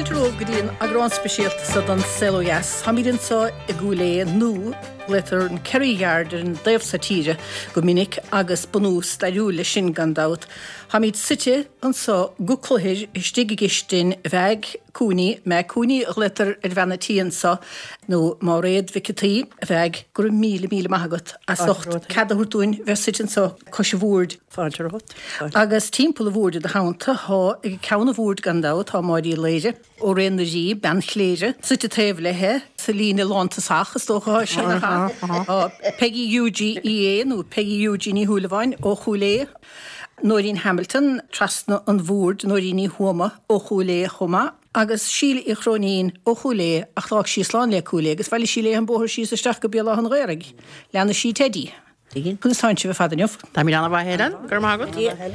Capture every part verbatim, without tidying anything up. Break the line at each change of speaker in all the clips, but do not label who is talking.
Fáilte romhaibh go dtí an eagrán speisialta seo den Saol Ó Dheas. Táimid anseo i gCúil Aodha nó glaotar an Kerry Yard ar an dtaobh seo tíre go minic agus bunús stairiúil leis sin gan dabht. Táimid suite anseo go cluthair istigh i gcistin Mheaig Cooney, Meg Cooney a ghlaotar ar bhean an tí anseo nó Máiréad Mhic an tSaoi a Mheaig go raibh míle míle maith agat as ucht cead a thabhairt dúinn bheith suite anseo cois an bhoird.
Fáilte romhat.
Agus timpeall an bhoird i do theannta tá ag ceann an bhoird gan dabht tá Máirín Uí Laoire ó Réan na Rí bean chléire suite taobh léithe sa líne lántosach is dócha sin Tá Peggy Hughie EA nó Peggy Hughie Ní Shúilleabháin ó Chúil Aodha. Nóirín Hamilton trasna an bhoird Nóirín Ní Thuama ó Chúil Aodha chomh maith. agus Síle Uí Chróinín ó Chúil Aodha ach d'fhág sí slán le Cúil Aodha agus bhailigh sí léi an bóthar síos isteach go Béal Átha an Ghaorthaidh. Leanfaidh sí Teddy. Conas tánn sibh ar fad inniu.
Tá mé an-mhaith Helen, go raibh maith agat.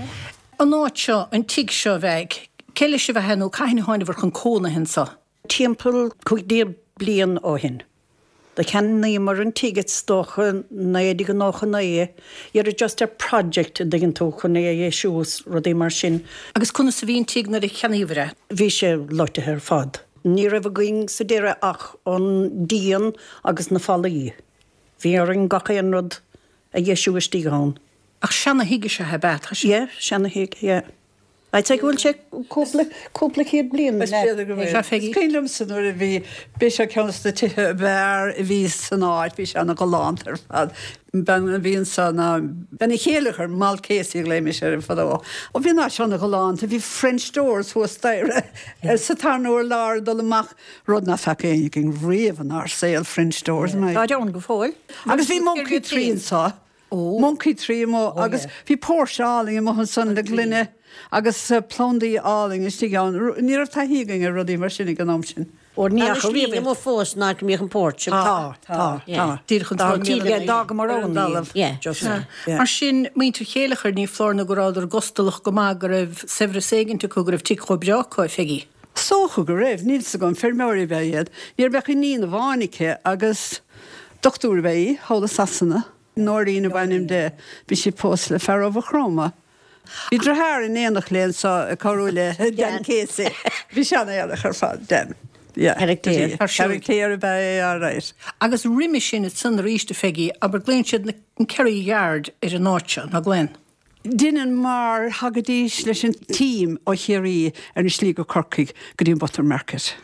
An áit seo an tigh seo bheidh, cé leis a bheith nó cathain a tháinabhar chun cónaithe anseo.
Timpeall cúig déag bliain ó shin. Do cheannaíomar an tigh is dócha naoi déag nócha naoi, Iar just a project a dtuigeann tú chun é a dheisiú rudaí mar sin.
Agus conas a bhí an tigh nuair a cheannaíobhair é.
Bhí sé loitithe ar fad. Ní raibh againn sa deireadh ach an díon agus na fallaí. Bhí orainn gach aon rud a dheisiú istigh ann.
Ach seana-thigh is ea é ab ea
Yeah, seana-thigh, yeah. I'd say go bhfuil sé cúpla cúpla céad bliain.
Is cuimhin liomsa nuair a bhí bhí sé ceann de na tithe ab fhearr a bhí san áit, bhí sé an-ghalánta ar fad. Ben a bhí anseo ná bean an chéile Mal Casey a ghlaoimis air fadó. Ó bhí ná seo an-ghalánta, bhí French doors thuas staighre sa tarna urlár dul amach rud nach bhfaca éinne againn riamh inár saol French doors.
Tá ann go fóill.
Agus bhí monkey tree anseo. Monkey tree mo agus bhí póirse álainn amuigh ansan le gloine agus plandaí álainn istigh ann. Ní raibh taithí againn ar rudaí mar sin ag an am sin.
Ó ní
ní fós ná go mbíodh an porch.
Tá tá tá.
Díreach
Dá mar
an Mar sin muintir Chéileachair ní foláir nó go rabhadar gustalach go maith go raibh saibhreas éigin acu go raibh tigh chomh breá acu a Pheggy.
Is dócha go raibh níl a fhios agam feirmeoirí ab ea iad. Ní bheadh iníon amháin aici agus dochtúir ab ea í, thall i Sasana. Nóirín ab ainm di, bhí sí pósta le fear ó Chroma. Bhí deartháir in éineacht léi anseo ag cabhrú le Dan Casey. Bhí sé an-éarach ar fad Dan. Caractéir ab ea é right.
Agus roimhe sin ansan arís a Pheggy, abair glaonn siad an Kerry Yard ar an áit seo, nach nglaonn.
Deineann mar thagaidís leis an team ó Chiarraí ar an slí go Corcaigh go dtí an Butter Market.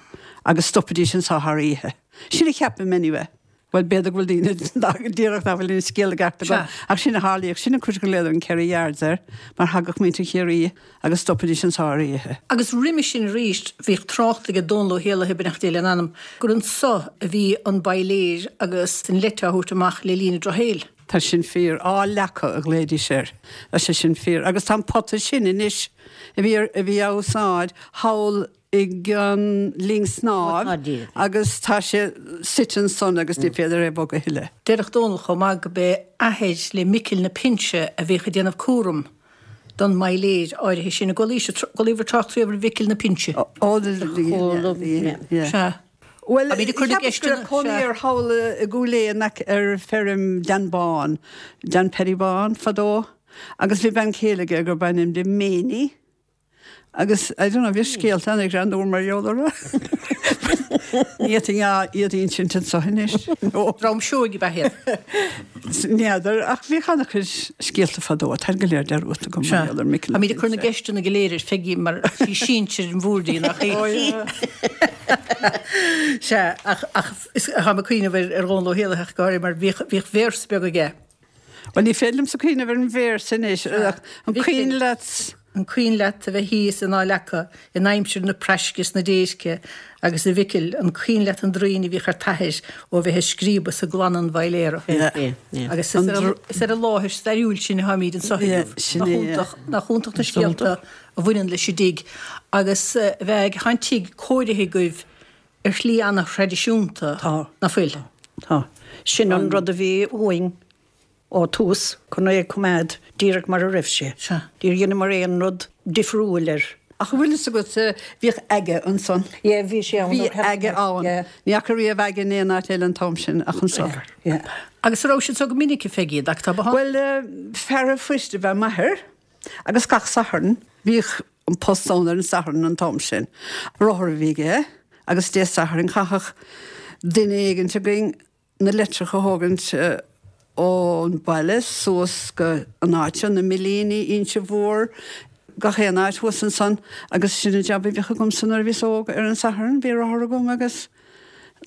Agus stopaidís anseo thar oíche. Sin a cheapaim anyway. Well b'fhéidir go bhfuil daoine díreach nach bhfuil an scéal ceart agam ach sin a tharlaíodh sin an chúis go glaodar an Kerry Yards air mar thagadh muintir Chiarraí agus stopaidís anseo thar oíche.
Agus roimhe sin arís bhíodh trácht ag Dónal Ó hÉallaithe beannacht Dé lena anam gur anseo a bhí an bailéir agus an leite á thabhairt amach le linn an drochshaoil.
Tá sin fíor Áth Leaca a ghlaoidís air Tá sé sin fíor agus tá an pota sin anois a bhí a bhí á úsáid thall ag an linn snámh agus tá sé suite ansan agus ní féidir é bogadh a thuilleadh.
Déarfadh Dónal chomh maith go b'é athair le Micil na Pinse a bhíodh ag déanamh cúram don mbailéir áirithe sin a gcuala trácht riamh ar Mhicil na Pinse.
Ó
Sea.
Well cónaí air thall i gCúil Aodha ar feirm Dan Bán, Dan Paddy Bán fadó, agus bhí bean chéile aige gurb ainm di Méiní. Agus I don't know bhí scéalta an greannmhar mar gheall orthu. Ní iad insint anseo anois.
Dream seoigh ab ea iad.
N'fheadar ach bhí an-chuid scéalta fadó tá go léir dearúdta agam mar gheall ar Micil.
Táimid ag cur na gceisteanna go léir ar Pheggy mar sí sinsir an bhoird í nach í. Sea ach ach tá mé ag cuimhneamh ar ar Dhónal Ó hÉallaithe ach go háirithe mar bhíodh bhíodh véarsa beag aige.
Well ní féidir liomsa cuimhneamh ar an véarsa anois ach an cuimhin leat
An cuimhin leat a bheith thíos in Áth Leaca in aimsir na praisce is na déirce agus a Mhicil, an cuimhin leat an draoin a bhíodh ar t'athair ó bheith ag scríobadh sa gclann an bhailéara. Agus is ar an láthair stairiúil sin a tháimid anseo inniu. Nach iontach na scéalta a bhaineann leis an dtigh agus a bheith tá an tigh cóirithe agaibh ar shlí an-thraidisiúnta, nach bhfuil?
Tá. Sin an rud a bhí uainn ó tús chun é a choimeád díreach mar a raibh sé. Níor dheineamar aon rud difriúil air.
Ach bhfuil fhios agat bhíodh aga ansan.
Yeah, bhí sé ann.
Bhí aga ann. Ní fhaca riamh aga in aon áit eile an t-am sin ach anseo.
Yeah.
Agus an raibh siad seo go minic a Pheggy, ach tá
Well fear an phoist ab ea m'athair agus gach Satharn bhíodh an post ann ar an Satharn an t-am sin. Rothar a bhí aige agus Dé Sathairn chaithfeadh duine éigin againn na litreacha a thógaint ón baile suas go an áit na Millíní Inse Mhór, gach aon áit thuas ansan agus sin an jab a bhíodh agamsa nuair a bhíos óg ar an Satharn, bhí rothar agam agus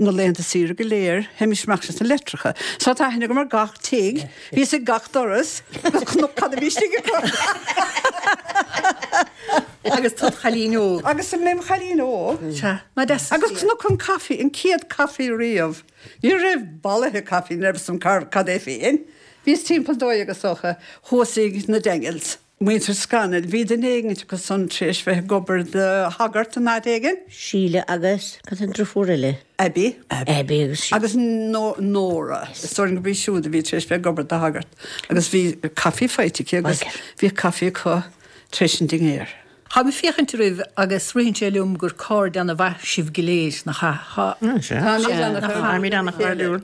na laethanta saoire go léir, théimis amach leis na litreacha. So tá aithne agam ar gach tigh, bhíos ag gach doras, agus chonac cad a bhí istigh acu.
Agus tú id chailín óg.
Agus mé im chailín óg.
Sea, ná deas.
Agus chonac an caife, an chéad caife riamh. Ní raibh bolaithe caife, ní raibh fhios agam cad é féin. Bhíos timpeall dó dhéag is dócha, thuas ag na Daniels. Muintir Scannell, bhí duine éigin acu san tar éis bheith ag obair do shagart in áit éigin.
Síle agus, cad é an driofúr eile?
Abby.
Abby agus Síle.
Agus Nóra. Is dóigh liom gurb í siúd a bhí tar éis bheith ag obair do shagart. Agus bhí caife faighte aici agus bhíodh caife acu tar éis an dinnéir.
Táim ag féachaint oraibh agus ritheann sé liom gur cairde ana-mhaith sibh go léir, nach ea?
Táimid ana-chairdiúil.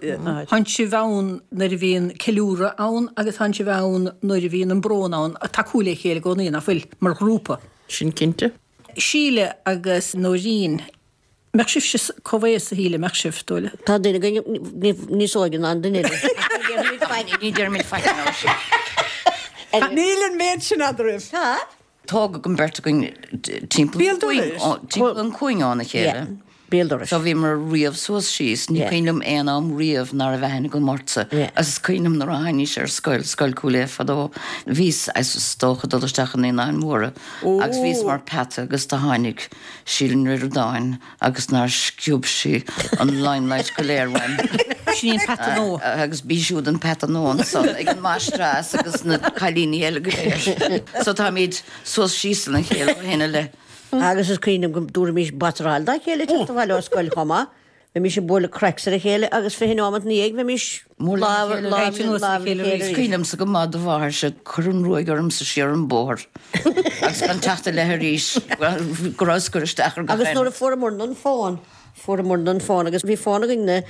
Tánn sibh ann nuair a bhíonn ceiliúradh ann agus tánn sibh ann nuair a bhíonn an brón ann, ag tacú le chéile i gcónaí, nach bhfuil, mar ghrúpa.
Sin cinnte.
Síle agus Nóirín, mbeadh sibhse comhaosta, a Shíle, mbeadh sibh, dóigh liom?
Tá duine againn níos óige ná an duine eile.
Ní deirimid faic ná sin.
Níl an méid sin eadraibh.
Tá.
Tógadh an bheirt againn timpeall an chúinne óna chéile.
Béal dorais.
So bhíomar riamh suas síos, ní cuimhin liom aon am riamh ná raibh aithne agam ortsa. Agus is cuimhin liom nuair a tháinís ar scoil, Scoil Chúil Aodha fadó, bhíos, is dócha, dul isteach i Naíonáin Mhóra agus bhíos mar peata agus do tháinig Síle Ní Ríordáin agus nár sciob sí an limelight go léir uaim.
Sin í an peata nua.
Agus b'í siúd an peata nua ansan ag an máistreás agus na cailíní eile go léir. So táimid suas síos lena chéile ó shin i leith.
Agus is cuimhin liom go dtabharfaimis batráil dá chéile ag teacht abhaile ó scoil chomh maith. Bheimis ag bualadh craics ar a chéile agus fiche nóiméad ina dhiaidh bheimis lámh lámh lámh le chéile arís.
Is cuimhin liomsa go maith do mháthairse ag cur an ruaig ormsa siar an bóthar agus gan teacht i leith arís go rabhas ag cur isteach ar gach
Agus
aon.
nuair a fuaireamarna an fón, fuaireamarna an fón agus bhí fón againn-ne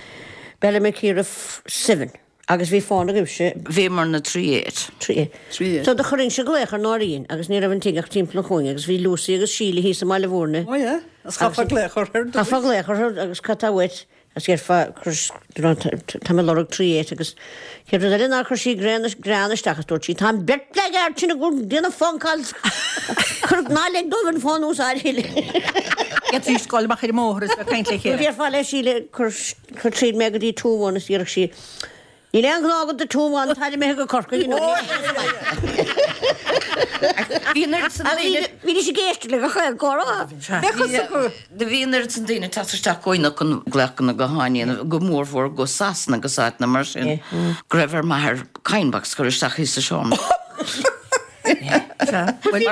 Ballymakeera Seven agus bhí fón agaibhse.
Bhíomarna three eight.
Three eight.
Three eight.
So do chuirinnse glaoch ar Nóirín agus ní raibh an tigh ach timpeall an chúinne agus bhí Lucy agus Síle thíos i mBaile Mhúirne.
Oh yeah, agus chaithfeá glaoch orthu ar dtús.
Chaithfeá glaoch orthu agus cad tá uait? Agus dhéarfá, tá mé ag lorg three eight agus chéad rud eile ná chuir sí grean isteach agus dúirt sí, tá an bheirt blackguard sin ag déanamh phone calls, cuir ná lig dóibh an fón a úsáid a thuilleadh.
Iad tar éis dul amach ar an mbóthar is bheith ag caint le chéile.
Déarfá le Síle, cuir cuir tríd mé go dtí two one is déarfadh sí, Níl aon ghnó agat do two one, táid imithe go Corcaigh inniu.
Bhí an oiread san daoine.
Bhídís ag éisteacht le gach aon chomhrá.
Do bhí an oiread san daoine ag teacht isteach chugainn chun glaochanna gutháin a dhéanamh, go mórmhór go Sasana agus áiteanna mar sin, go raibh ar m'athair coin box a chur isteach thíos sa seomra.
Bhí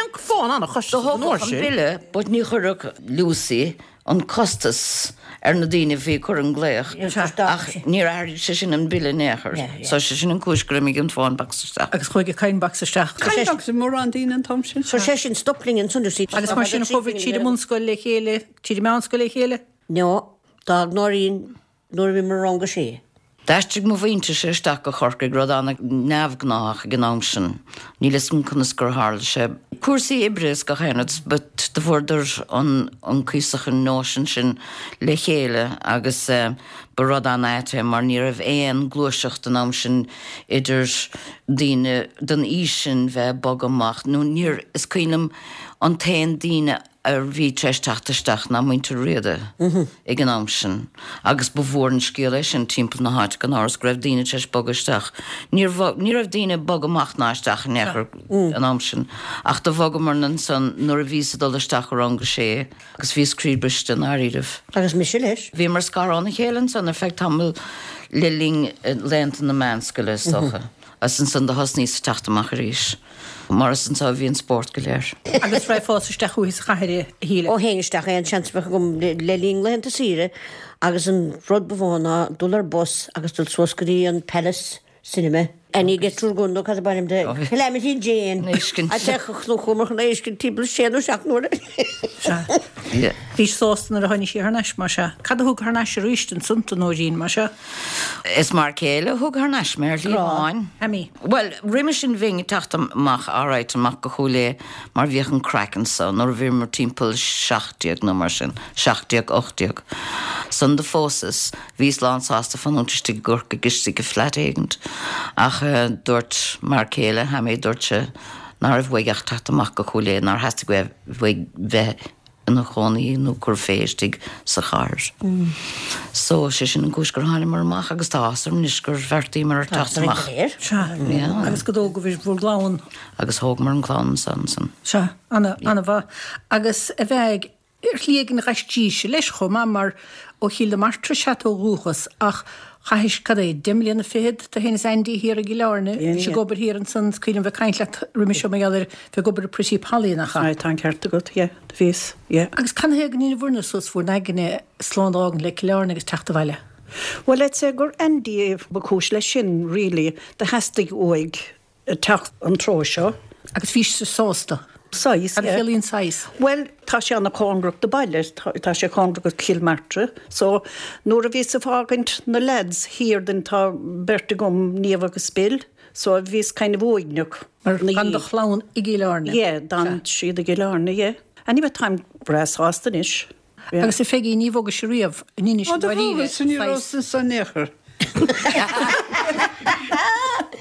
an fón an-chostasach an uair sin.
bille, but ní chuirfeadh Lucy an costas ar na daoine a bhí ag cur an glaoch ach níor athraigh sé sin an bille in aon chor. So sé sin an cúis gur imigh an phone box isteach.
Agus chuaigh an coin box isteach.
Coin box ag mórán daoine an t-am sin.
So sé sin stop linn ansan you see.
Agus mar sin a chuaigh tríd an mbunscoil le chéile, tríd an meánscoil le chéile?
No, d'fhág Nóirín nuair a bhí mé i rang a sé.
D'aistrigh mo mhuintirse isteach go Corcaigh, rud an-neamhghnáthach ag an am sin. Níl 'fhios agam conas gur tharla sé. Cúrsaí oibre is gach aon rud, but do fuaireadar an an cuíosach an nóisean sin le chéile agus ba rud an-ait é mar ní raibh aon gluaiseacht an am sin idir daoine den aois sin bheith ag bogadh amach nó níor, is cuimhin liom an t-aon daoine a bhí tar éis teacht isteach ná muintir Riada ag an am sin agus ba mhór an scéal é sin timpeall na háite gan amhras go raibh daoine tar éis bogadh isteach. Níor bhog, ní raibh daoine ag bogadh amach ná isteach in aon chor an am sin ach do bhogamarna ansan nuair a bhíos ag dul isteach i rang a sé agus bhíos croíbhriste i ndáiríribh.
Agus mise leis.
Bhíomar scartha óna chéile ansan ar feadh tamaill le linn laethanta na meánscoile is dócha. Agus ansan do thosnaíos ag teacht amach arís. Mar is anso a bhí an spórt go léir.
Agus raghfá isteach chuici sa chathair, a Shíle?
Ó théinn isteach aon seans a bheadh agam le linn laethanta saoire agus an rud ba mhó ná dul ar bus agus dul suas go dtí an Palace Cinema. Annie get triúr gun nó cad ab ainm di? Calamity Jane.
Éiscint.
A teach chnúchumar chun éiscint timpeall sé nó seacht n-uaire.
Sea.
Yeah.
Bhís sásta nuair a tháinig sí thar n-ais, mar sea. Cad a thug thar n-ais arís ansan tú, Nóirín, mar sea?
Is m'fhear céile a thug thar n-ais mé ar shlí amháin.
Amy.
Well, roimhe sin bhínn ag teacht amach alright amach go Cúil Aodha mar bhíodh an craic anso nuair a bhíomar timpeall seacht déag nó mar sin, seacht déag, ocht déag. San do phósas, bhíos lán sásta fanúint istigh i gCorcaigh istigh i flat éigint. Ach dúirt m'fhear céile, Hammy, dúirt sé ná raibh uaidh ach teacht amach go Cúil Aodha, nár theastaigh uaidh bheith ina chónaí nó cur fé istigh sa chathair. So sé sin an cúis gur thánamar amach agus tá áthas orm anois gur bheartaíomar ar teacht amach.
Sea.
Yeah.
Agus go dtógaibh bhur gclann.
Agus thógamar an clann ansan ansan.
Sea, ana, ana-mhaith. Agus a bheidh ar shlí éigin ghaistíse leis chomh maith mar ó Chill na Martra is ea tú ó dhúchas ach chaithis, cad é, deich mbliana fichead, tú féin is Andy thiar i gCill Airne, bhís ag obair thiar ansan, is cuimhin liom bheith ag caint leat roimhe seo mar gheall ar bheith ag obair i Pretty Polly, nach ea?
Aye, tá an ceart agat, yeah, do bhíos, yeah.
Agus canathaobh go ndéanamh bhur suas bhur n-aigne slán d'fhágaint le Cill Airne agus teacht abhaile?
Well, let's say gur Andy ba chúis leis sin, really, do theastaigh uaidh teacht an treo seo.
Agus bhís sásta?
Saghas,
Cad a
yeah.
chiallaíonn saghas?
Well, tá sé ana cóngarach do baile, tá, tá sé cóngarach go Cill Martra, so nuair a bhíos ag fágaint na lads thiar den tá beirt agam, Niamh agus Bill, so bhíos kind of uaigneach.
Mar gan do chlann i gCill Airne.
Yeah, d'fhan siad i gCill Airne, yeah. Anyway, táim breá sásta anois. Yeah.
Agus a Pheigí, ní bhogais riamh in Inis
Ó, do
dáiríre,
bhogas, ní raibh
saghas.
san in aon chor.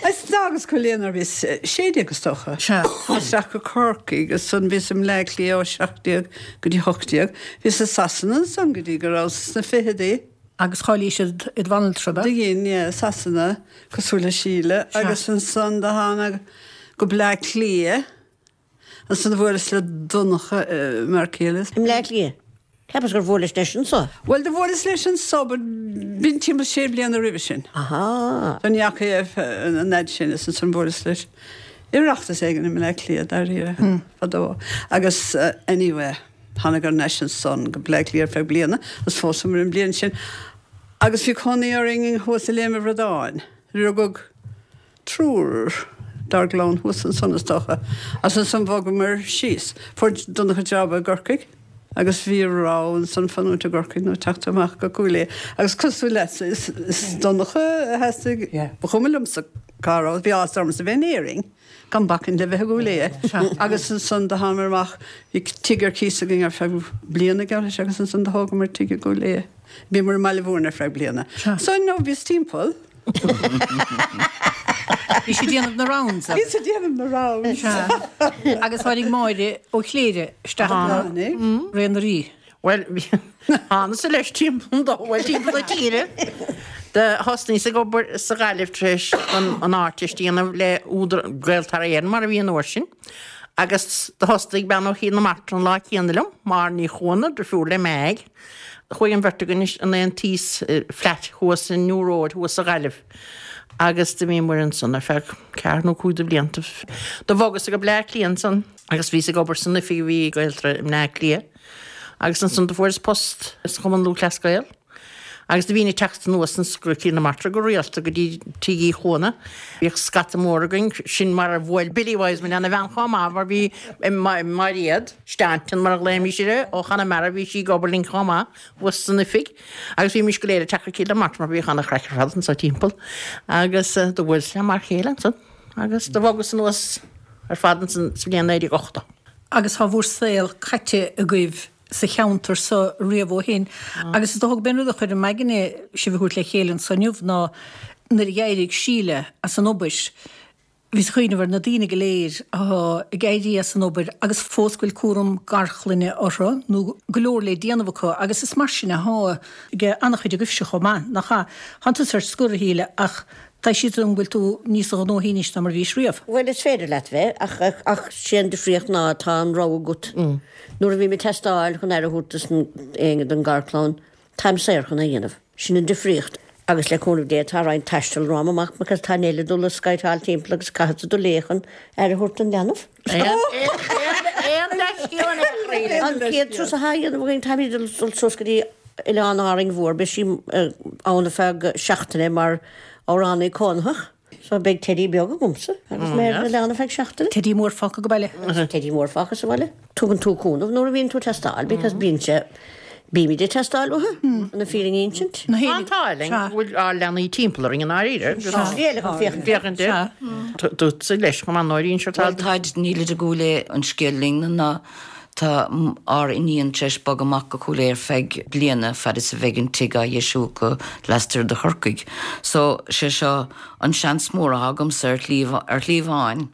Is d'fhágas Cúil Aodha nuair a bhíos sé déag is dócha.
Sea.
Isteach go Corcaigh agus ansan bhíos i mBleá Cliath ó seacht déag go dtí hocht déag. Bhíos i Sasana ansan go dtí go rabhas sna fichidí.
Agus cháiligh siad id bhanaltra,
Do dhein, yeah, Sasana, cosúil le Síle,
Sea.
agus ansan do tháinig go Bleá Cliath. Ansan do bhuaileas le Donncha m'fhear céile.
I mBleá Cliath. Ceapas gur bhuailis leis anso?
Well, do bhuaileas leis anso, but b'in timpeall sé bliana roimhe sin.
Aha.
Don dheachaigh an fhad sin is ansan bhuaileas leis. Oireachtas éigin i mBleá Cliath dáiríre fadó. Agus uh, anyway, tháinig ar ais ansan go Bleá Cliath ar feadh bliana, agus phósamar an bliain sin. Agus bhí cónaí orainn thuas i Léim an Bhradáin. Rugadh triúr dár gclann thuas ansan is dócha. Agus ansan bhogamar síos. Fuair Donncha job i gCorcaigh. Agus bhí rogha ansan fanúint i gCorcaigh nó teacht amach go Cúil Aodha. Agus cosúil leat, is, is Donncha a theastaigh,
Yeah.
ba chuma liomsa cá raibh, bhí áthas ormsa bheith in Éirinn, gan bacaint le bheith i gCúil Aodha. Agus ansan do thánamar amach, bhí tigh ar cíos againn ar feadh bliana geall leis agus ansan do thógamar tigh i gCúil Aodha. Bhíomar i mBaile Mhúirne ar feadh bliana. So no, bhíos timpeall.
Bhí sí déanamh na rounds.
Bhí sí déanamh na rounds.
Sea. Agus tháinig Máire ó Chléire isteach
Tháinig.
Ré na Rí.
Well, thánas leis timpeall do bhfuil timpeall na tíre. Do thosnaíos ag obair sa Ghaillimh tar éis an an Ardteist a dhéanamh le údar Gaeltarra Éireann mar a bhí an uair sin. Agus do thosaigh bean ó Chill na Martra an lá céanna liom, Máire Ní Chuana, deirfiúr le Meaig. Chuaigh an bheirt againn in aon tíos flat thuas in New Road thuas sa Ghaillimh. Agus do bhíomar ansan ar feadh ceathair nó cúig de bhlianta. Do bhogas go Bleá Cliath ansan agus bhíos ag obair san oifig a bhí Gaeltarra i mBleá Cliath. Agus ansan do fuaireas post sa Chumann Lúthchleas Gael. Agus do bhínn ag teacht anuas go Cill na Martra go rialta go dtí Tigh Uí Chuana. Bhíodh scata mór againn sin mar a bhuail Billy Wiseman lena bhean chomh maith mar bhí Mairéad Stanton mar a ghlaoimis uirthi ó Chonamara bhí sí ag obair linn chomh maith thuas san oifig. Agus bhímis go léir ag teacht go Cill na Martra mar bhíodh an-chraic ar fad anso timpeall. Agus do bhuaileas le m'fhear céile ansan. Agus do bhogas anuas ar fad ansan sa bhliain naoi déag ochtó.
Agus tá bhur saol caite agaibh sa cheantar so riamh ó shin. Agus is dócha b'in rud a chuir i m'aigne sibh a thabhairt le chéile anso inniu ná nuair a d'éirigh Síle as an obair, bhíos ag cuimhneamh ar na daoine go léir atá ag éirí as an obair agus fós go bhfuil cúram garchlainne orthu nó go leor le déanamh acu agus is mar sin atá ag an-chuid agaibhse chomh maith, nach ea? Tánn tusa ar scor a Shíle ach tá siad an bhfuil tú níos gnóthaí anois ná mar a bhís riamh.
Bhuel is féidir leat bheith ach ach ach sé an difríocht ná tá an rogha agat. Nuair a bhí mé teastáil chun aire a thabhairt dos éinne don gharchlann, táim saor chun é a dhéanamh. Sin an difríocht. Agus le cúnamh Dé tá roinnt taistil romham amach because tá Neil dul le skytáil timpeall agus caithfidh dul léi chun aire a thabhairt don leanbh.
Aon leithscéal in aon chor.
An chéad turas atá á dhéanamh againn táimid dul suas go dtí Oileán Árainn Mhór, beidh sí ann ar feadh seachtaine mar amhránaí cónaitheach. So beidh Teddy beag agamsa agus mé ar an oileán ar feadh seachtaine.
Teddy mór fágtha go baile.
Teddy mór fágtha sa bhaile. Tugann tú cúnamh nuair a bhíonn tú ag teastáil because bíonn sé bímid ag teastáil uathu an fírinne a insint.
Tá an t-ádh linn go bhfuil ár leanaí timpeall orainn i ndáiríre. Féachaint air. Duitse leis chomh maith Nóirín sure tá.
Bhuel táid nílid i gCúil Aodha an scéal linn ná tá ár iníon tar éis bogadh amach go Cúil Aodha ar feadh bliana fad is a bheidh an tigh á dheisiú acu lastoir de Chorcaigh. So sé seo an seans mór atá agamsa ar shlí ar shlí amháin.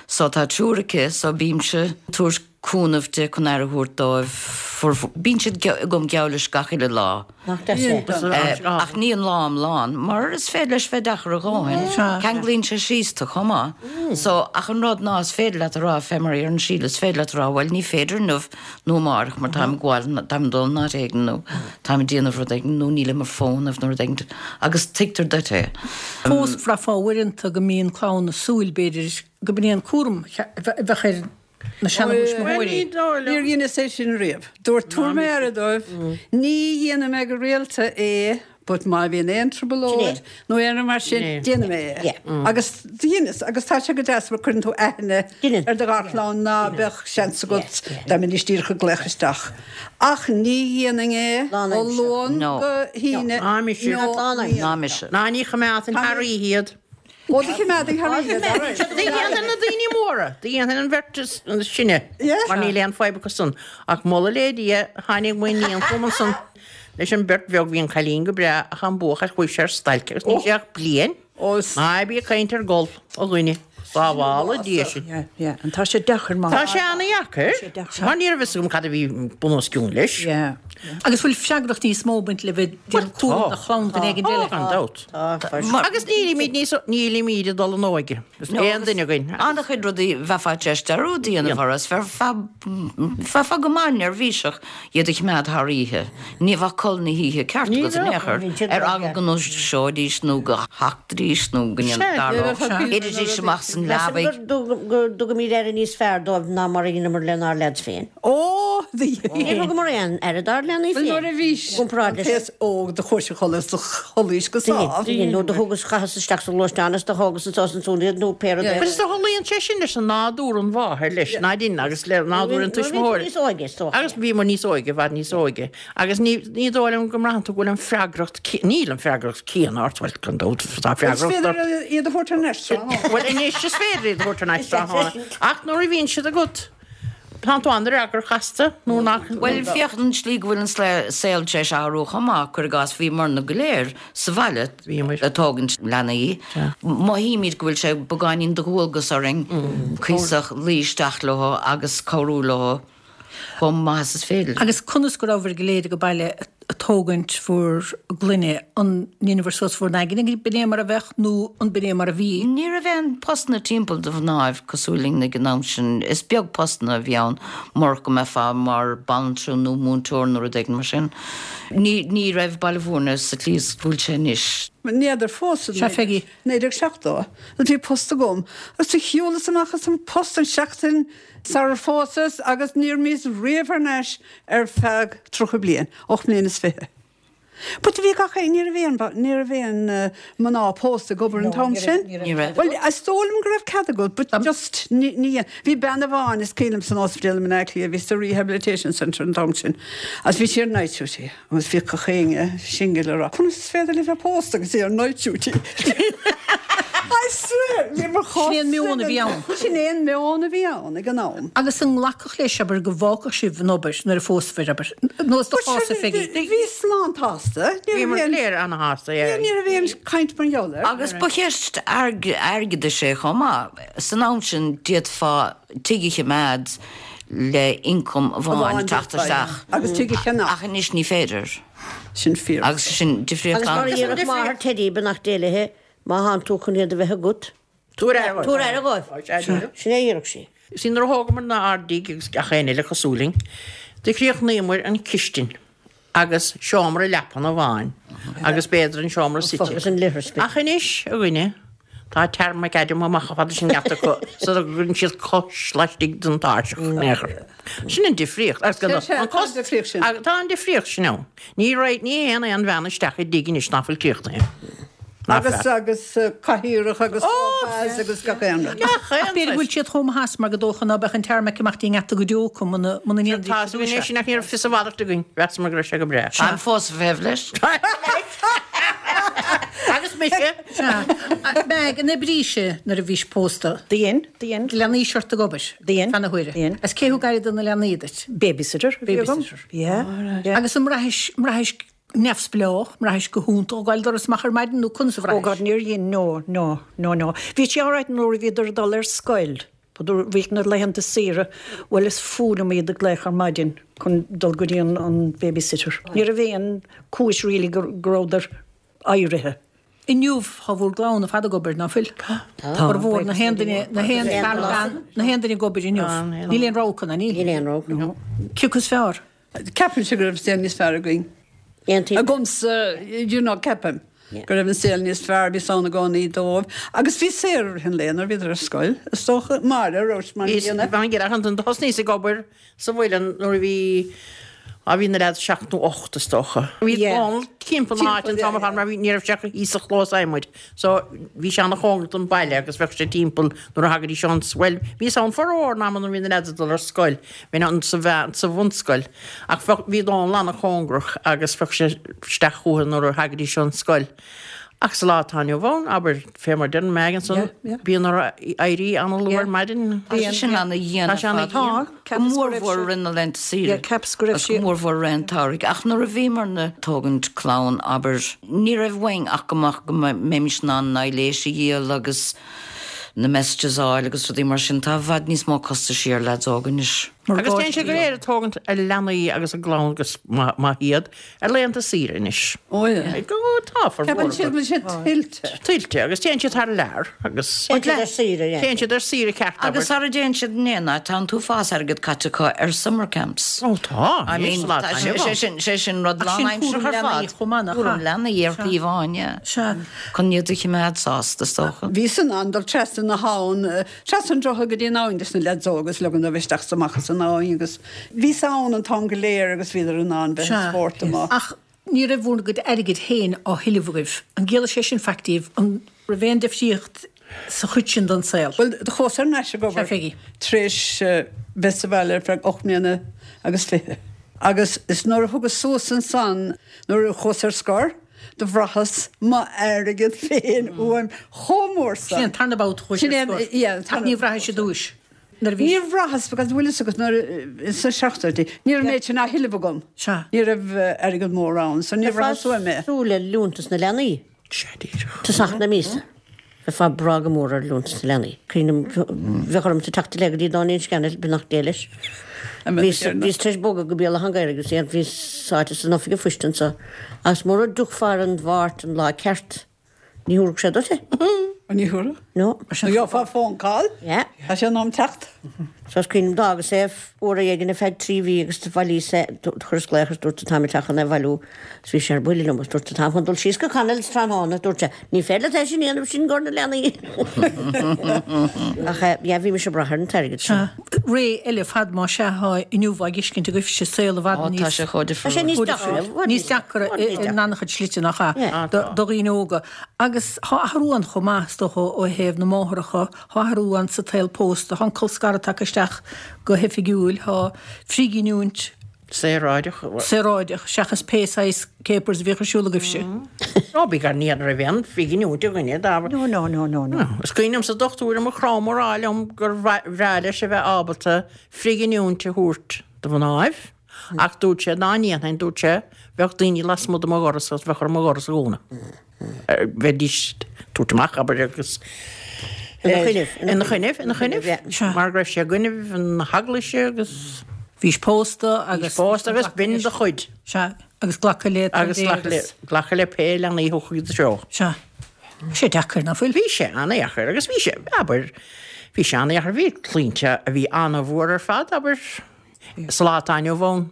So tá triúr aici so bímse tabhairt cúnamh di chun aire a thabhairt dóibh. Bíonn siad agam geall leis gach uile lá.
Nach deas é?
Ach ní an lá iomlán, mar is féidir leis bheith deacair a dhóthain. Ceanglaíonn sé síos tú chomh maith. So, ach an rud ná is féidir leat a rá, fé mar a deireann Síle, is féidir leat a rá, bhuel ní féidir inniu nó amárach mar táim ag gabháil, táim ag dul in áit éigin nó táim ag déanamh rud éigin nó nílim ar fónamh nó rud éigin agus tuigtear duit é.
Fós bhraithfeá uaireanta go mbíonn clann ag súil, b'fhéidir, go b'in é an cúram a bheadh ar na seanathuismitheoirí.
Níor dheineas é sin riamh. Dúirt tabharfaidh mé aire dóibh, ní dhéanfaidh mé go rialta é but má bhíonn aon trioblóid nó aon rud mar sin, déanfaidh mé é. Agus dheineas, agus tá sé go deas mar cuireann tú aithne ar do gharchlann ná beadh seans agat dá mbeidís díreach ag glaoch isteach. Ach ní dhéanfainn é ó Luan go hAoine
Ná mise.
Ná mise.
Ná ní choimeádfainn thar oíche iad.
Ó do choimeádfainn thar oíche iad, alright.
Do dhéanfainn na daoine móra, do dhéanfainn an bheirt is sine, mar níl aon fadhb acu san. Ach moladh le Dia, tháinig m'iníon chugam ansan leis an bheirt bheag, bhí an cailín go breá ach an buachaill chuaigh sé ar stailc agus ní raibh sé ach bliain. Ná bí ag caint ar gol, a dhuine. Sábhála Dia sinn.
Yeah, yeah. And tá sé deacair mar.
Tá sé ana-dheacair. Mar ní raibh fhios agam cad a bhí bun os cionn leis.
Yeah.
Agus bhfuil freagracht níos mó ag baint le bheith ag déanamh cúram do chlann duine éigin eile?
Tá, gan dabht. Agus nílimid níos, nílimid ag dul in óige. Aon duine againn.
An-chuid rudaí bheifeá tar éis dearúd a dhéanamh orthu, is bheifeá go maith neirbhíseach iad a choimeád thar oíche. Ní bheadh codladh na hoíche ceart agat in aon chor, ar eagla go ndúiseoidís nó go dtachtfaidís nó go ndéanfadh, thitfidís amach as an leabaidh.
Measaim go dtugaimid aire níos fearr dóibh ná mar a dheineamar lenár leaids féin.
Ó, do
Níor thugamar aon aire dár leanaí
Bhuel,
féin.
nuair a bhís
I gcomparáid
an
leis.
t-aos óg do chuais a chodladh is do chodlaís go sámh.
Do dhein, nó do thugas, chaitheas isteach sa ghluaisteán is do thógas anso is ansúd iad nó pé rud é.
But is tarlaíonn sé sin leis an nádúr an mháthair leis, ná dhein, agus le nádúr an
Nuair a bhí tú
tuismitheoir.
níos óige, is dócha.
Agus bhíomar níos óige, i bhfad níos óige. Agus ní, ní dóigh liom go mbraitheann tú go bhfuil an freagracht, níl an freagracht céanna ort, bhuel, gan dabht, tá
Is
freagracht
féidir
ort.
iad a thabhairt thar n-ais tráthnóna.
Bhuel, anois is féidir iad a thabhairt thar n-ais tráthnóna. Ach nuair a bhíonn siad agat, tá tú an-fhreagrach astu, nó nach.
Bhuel, féach an tslí go bhfuil an saol tar éis athrú chomh maith, cuir i gcás, bhíomarna go léir sa bhaile ag tógaint leanaí. Mothaímid go bhfuil sé beagáinín de dhualgas orainn cuíosach luí isteach leo agus cabhrú leo chomh maith is is féidir.
Agus conas go rabhabhair go léir ag baile ag tógaint bhur gclainne, an ndeineabhair suas bhur n-aigne go b'in é mar a bheadh nó an b'in é mar a bhí?
Ní raibh aon postanna timpeall do mhnáibh cosúil linn ag an am sin. Is beag postanna a bhí ann murach go mbeifeá mar banaltra nó múinteoir nó rud éigin mar sin. Ní ní raibh Baile Bhúirne sa tslí is go bhfuil sé anois.
N'fheadar fós
Sea, Peggy.
naoi déag seachtó nuair bhí post agam agus do shiúlas amach as an post an seachtain sarar phósas agus níor imíos riamh thar n-ais ar feadh tríocha bliain, ocht mbliana is fiche. But bhí gach aon, ní raibh aon, ní raibh aon mná pósta ag obair an t-am sin.
Ní raibh.
Bhuel, is dóigh liom go raibh cead agat, but just ní, ní, bhí bean amháin is cuimhin liom san ospidéal i mBaile Átha Cliath, bhí sa Rehabilitation Centre an t-am sin, agus bhí sí ar night duty, agus bhí gach éinne singil ag rá, conas is féidir léi bheith pósta agus í ar night duty? I swear, bhí mar chás
Sin é an meon a bhí ann.
Sin é an meon a bhí ann ag an am.
Agus an nglacfadh leis, abair, go bhfágfadh sibh an obair nuair a phósfaibh, abair, nó is do chás a Pheigí.
Bhíos lán-tsásta.
Bhí mar léir ana-shásta, yeah.
Ní raibh aon caint mar gheall air.
Agus ba cheist airgeadais é chomh maith. San am sin d'fhéadfá tigh a choimeád le ioncam amháin ag teacht isteach.
Agus tigh a cheannach.
Ach anois ní féidir.
Sin fíor.
Agus sin difríocht
Agus mar a
an.
déarfadh máthair Teddy, beannacht Dé léi, má thánn tú chun iad a bheith agat,
Tabhair aire
tabhair aire dhóibh. Sin é a déarfadh sí.
Sea, nuair a thógamar ár dtigh agus gach aon eile cosúil linn, do chríochnaíomar an chistin agus seomra leapan amháin agus b'fhéidir an seomra suite.
Agus an leithreas.
Ach anois, a dhuine, tá tarmacadam amach chomh fada sin geata acu sula gcuireann siad cos laistigh den tairseach in aon chor. Sin an difríocht. Agus
Sea, sea,
an
tá an
cos-
difríocht sin.
Tá an difríocht sin ann. Ní raibh, ní théann aon bhean isteach i dtigh anois nach bhfuil críochnaithe.
Agus agus cathaoireach agus sofas agus gach aon rud.
Ach b'fhéidir go bhfuil siad chomh maith as mar go dócha ná beadh an tarmac amach dtí an ngeata go deo acu muna muna ndéanfaidís
Tá a fhios againn anois nach raibh fios a mhalairt againn. Mheasamar go raibh sé go breá.
Táim fós ag feitheamh leis.
Agus mise.
Sea. Meg, an oibrís-se nuair a bhís pósta?
Do dhein, do dhein.
Leanaís ort ag obair?
Dhein.
Feadh na huaire.
Dhein.
Is cé thug aire do na leanaí duit?
Babysitter a bhí agam.
Babysitter.
Yeah, yeah.
Agus an mbraithis, mbraithis neamhspleách, mbraithis go hiontach ag gabháil doras amach ar maidin nó conas a
Oh God,
bhraithis?
níor dhein, no, no, no, no. Bhí sé alright nuair a bhíodar ag dul ar scoil. But bhíodh na laethanta saoire, bhuel is fuath liom iad a ghlaoch ar maidin chun dul go dtí an, an babysitter. Ní raibh aon chúis really go, go rabhadar éirithe.
Inniu tá bhur gclann ar fad ag obair, ná fuil?
Tá.
Formhór na haon duine, na haon fear nó bean, na haon duine ag obair inniu. Níl aon rogha acu, ná níl?
Níl aon rogha, no.
Cé acu is fearr?
Ceapaimse go raibh saol níos fearr againn.
Aontaím.
Agamsa, you know, ceapaim go raibh an saol níos fearr, bhí san i gcónaí dóibh. Agus bhí saor i rith an lae nuair a bhíodar ar scoil, is dócha, Máire, raibh mar
Bhí
gcéanna.
bhean ghéar an thosnaíos ag obair sa mhuileann nuair a bhí á bhí na leaids seacht nó ocht is dócha. Bhí
Yeah.
Dónal timpeall na háite an t-am ar fad mar bhí ní raibh sé thíos sa chlós adhmaid. So bhí sé ana-chóngarach don baile agus bheadh sé timpeall nuair a thagaidís ón well bhíos ann formhór an ama nuair a bhí na leaids ag dul ar scoil. Bhí an sa bhean sa bhunscoil. Ach bheadh bhí Dónal ana-chóngarach agus bheadh sé isteach chucu nuair a thagaidís ón scoil. Ach sa lá atá inniu ann, abair fé mar deir Meg ansan,
Yeah, yeah.
bíonn orthu éirí ana-luath ar maidin.
Tá sé sin ana-dhian
Tá sé
ar fad.
ana-dhian.
Go mórmhór i rith na laethanta saoire.
Yeah, ceapas go raibh
Agus
sí-
go mórmhór i rith an tsamhraidh. Ach nuair a bhíomar ag tógaint clann abair, ní raibh uainn ach go mbeadh go mbeimis in ann na ailléis a dhíol agus na messages a fháil agus rudaí mar sin. Tá i bhfad níos mó costaisí ar leaids óga anois.
Agus téann siad go léir ag tógaint a leanaí agus a gclann agus maith iad ar laethanta saoire anois.
Ó yeah.
Go tá formhór
Ceapann siad go bhfuil siad tuillte.
Tuillte agus téann siad thar lear agus
Téann siad ar saoire, yeah.
Téann siad ar saoire ceart
Agus sara dtéann siad in aon áit, tá an t-uafás airgead caite acu ar summer camps.
Ó tá.
I mean, tá sé sé sin sé sin rud
Ach sin
lánaimseartha
cúram
ar
leanaí
fad.
chomh maith, nach
Cúram
ea?
leanaí ar thaobh amháin, yeah.
Sea.
Chun iad a choimeád sásta is dócha.
Bhíos in ann dul trasna na habhann, trasna an droichid go dtí an abhainn leis na leaids óga agus leogan dóibh isteach is amach as an abhainn agus bhíos ann an t-am go léir agus bhíodar in ann bheith ag spórt amach.
Ach ní raibh bhur gcuid airgid féin á thuilleamh agaibh. An gciallaigh sé sin faic daoibh an raibh aon difríocht sa chuid sin den saol?
Well, do chuas ar ais ag obair
Sea, Peggy.
tar éis bheith sa bhaile ar feadh ocht mbliana agus fiche. Agus is nuair a thugas suas ansan nuair a chuas ar scor, do bhraitheas m'airgead féin uaim chomh mór
Sin an tarna babhta chuais
Sin
ar
é-
scor.
yeah,
Ach ní bhraithis i dtús. Nuair a bhí
Níor bhraitheas because bhfuil fhios agat nuair sa seachtóidí. Ní raibh méid sin á thuilleamh agam.
Sea.
Ní raibh airgead mór ann, so níor bhraitheas uaim é.
Súil le liúntas na leanaí. Tosach na míosa. Bheifeá ag brath go mór ar liúntas na leanaí. Cuimhním bheadh orm sa teacht le go dtí Dáinín Scannell beannacht Dé leis. Bhíos bhíos tar éis bogadh go Béal Átha an Ghaorthaidh agus bhí sáite san oifig an phoist anseo. Agus mura dtiocfá ar an Mháirt an lá ceart, ní thabharfadh sé duit é.
Ní thabharfadh?
No.
Nó gheofá phone call?
Yeah.
Tá sé in am teacht.
So is cuimhin liom d'fhágas é uair éigin ar feadh trí mhí agus do bhailíos é chuireas glaoch agus dúirt táim ag teacht chun é a bhailiú. Is bhí sé ar buile liom agus dúirt táim chun dul síos go Connell's tráthnóna dúirt sé ní féidir leat é sin a dhéanamh sin gor na leanaí. Ach eh, yeah, bhí mise ag brath ar an t-airgead sin.
Ré eile fad má sea atá inniu á dtuiscint agaibhse saol i bhfad
Ó, tá
níos
sé chomh
Tá sé
difriúil.
níos deacra.
níos deacra in an-chuid slite nach ea
Yeah.
do do dhaoine óga. Agus tá athrú ann chomh maith is dócha ó thaobh na máithreacha, tá athrú ann sa tsaol pósta, tá an colscaradh tagtha isteach go hoifigiúil, tá frithghiniúint
Saoráideach.
saoráideach seachas pé saghas capers a bhíodh ar siúl agaibhse.
Ó bí gar ní raibh aon frithghiniúint againne dá
No, no, no, no, no.
Is cuimhin liom sa dochtúir mo chrom á rá liom gur bhreá leis a bheith ábalta frithghiniúint a thabhairt do mhnáibh, ach dúirt sé dá ndéanfainn dúirt sé bheadh daoine lasmuigh de mo dhoras agus bheadh orm mo dhoras a dhúnadh. Bheidís tabhairt amach abair agus
Ina choinnibh,
Ina choinnibh, ina choinnibh.
Yeah.
Mar go raibh sé i gcoinnibh an heaglaise agus
Bhís pósta agus
pósta agus b'in do chuid.
Sea, agus glacadh le
Agus glacadh le glacadh le pé leanaí a thiocfadh i do threo.
Sea. Sé deacair nach bhfuil.
Bhí sé an-deacair agus bhí sé abair bhí sé an-deacair bhí claimhte a bhí an-mhór ar fad abair sa lá atá inniu ann.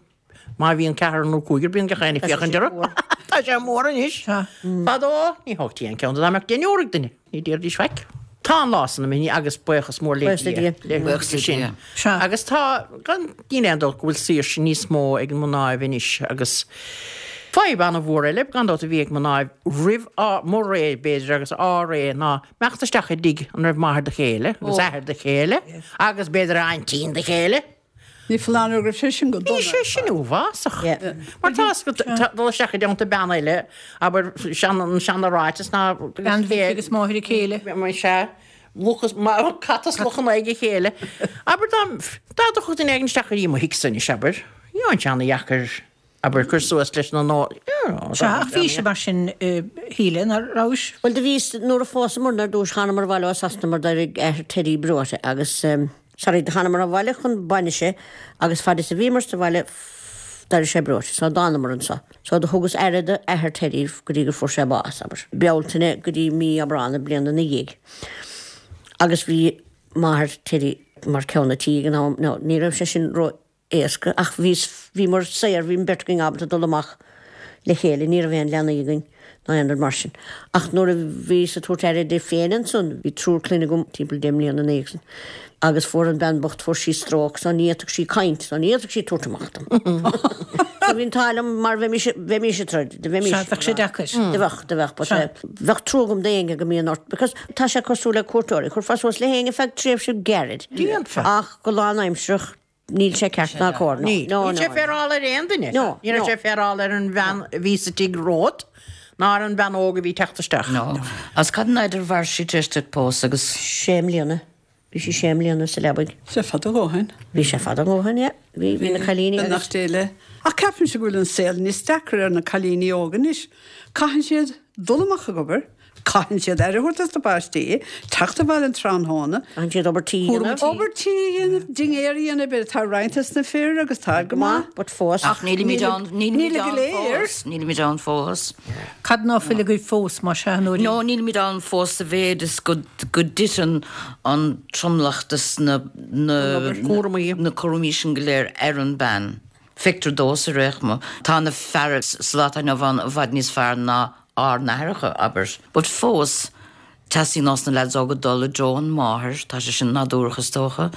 Má bhíonn ceathrar nó cúigear bíonn gach éinne ag féachaint orthu. Tá sé mór anois. Fadó ní thógtaí aon cheann dá mbeadh deichniúr ag duine, ní déarfaidís faic. Tá an lá san imithe agus buíochas mór le
Buíochas le
Dia.
Dia.
Le
Buíochas le
sin.
Dia.
Sea.
Agus tá gan níl aon dabht go bhfuil saoirse níos mó ag an mnáibh anois agus Fadhb an-mhór eile gan dabht a bhí ag mná roimh mo ré b'fhéidir agus ár ré ná imeacht isteach i dtigh an raibh máthair do chéile agus athair do chéile agus b'fhéidir aintín do chéile.
Ní foláir go raibh sé sin go dona.
Bhí sé sin uafásach. Mar tá dul isteach i dteannta bean eile, abair an seana-ráiteas ná
Bean mhic agus máthair a chéile.
Sea, luch is cat is luch in aghaidh a chéile. Abair dá dá dtiocfadh duine éigin isteach go dtí mo thigse anois, abair, bheadh sé ana-dheacair, abair, cur suas leis na nó.
Sea, ach bhí sé mar sin, a Shíle, nach rabhais?
Bhuel, do bhíos, nuair a phósamar ar dtúis, thánamar abhaile ó Sasana mar d'éirigh athair Teddy breoite agus, Sorry, do thánamar abhaile chun bainise agus fad is a bhíomar sa bhaile d'éirigh sé breoite, so d'fhanamar anso. So do thugas aire do athair Teddy go dtí gur fuair sé bás, abair, Bealtaine go dtí mí Aibreán na bliana ina dhiaidh. Agus bhí máthair Teddy mar ceann a' tí ag an am, now ní raibh sé sin ró éasca ach bhíos, bhíomar saor, bhí an bheirt againn ábalta dul amach le chéile, ní raibh aon leanaí againn ná aon rud mar sin. Ach nuair a bhíos ag tabhairt aire di féin ansan, bhí triúr clainne agam timpeall deich mbliana ina dhiaidh san, agus fuair an bhean bocht, fuair sí stróc so ní fhéadfadh sí caint, so ní fhéadfadh sí tabhairt amach dom. So bhí an t-ádh liom mar bheimis, bheimis ag troid, do bheimis.
Sea, bheadh sé deacair.
Do bheadh, do bheadh, but eh, bheadh trua agam d'éinne go mbíonn ort, because tá sé cosúil le cuairteoirí, chuirfeá suas le héinne feadh tréimhse gairid.
Déanfa.
Ach go lánaimsearach, Níl sé ceart ná cóir. No,
Níl.
no,
Níl sé
no.
féarála ar aon duine.
No,
Ní raibh
no.
sé féarála ar an bhean a bhí sa tigh romhat ná ar an bhean óg a bhí ag teacht isteach.
No. Agus cad an fhaid ar mhair sí tar éis duit pósadh agus.
Sé mbliana. Bhí sí sé mbliana sa leabaidh.
Sé fada ó shin.
Bhí sé fada ó shin, yeah. Bhí, bhí na cailíní agus.
Beannacht Dé léi. Ach ceapaimse go bhfuil an saol níos deacra ar na cailíní óga anois. Caitheann siad dul amach ag obair, Caitheann siad aire a thabhairt dos na páistí, teacht abhaile an tráthnóna,
Caitheann siad obair tí a dhéanamh.
Obair tí a dhéanamh, dinnéar a dhéanamh, b'fhéidir tá roinnt dos na fir agus tá go maith.
But fós.
Ach nílimid ann, nílimid
Níl go
ann
léir.
fós, nílimid ann fós.
Cad ná fuil agaibh fós, más ea, a Nóirín?
No, nílimid ann fós sa mhéid is go, go dtiteann an tromlach des na, na,
Cúraimí.
na cúraimí sin go léir ar an bean. Feictear domhsa ar aon chuma. Tá na fear sa lá atá inniu ann i bhfad níos fearr ná ár n-aithreacha, abair. But fós, teastaíonn ós na leaids óga dul i dtreo an máthair, tá sé sin nádúrach is dócha.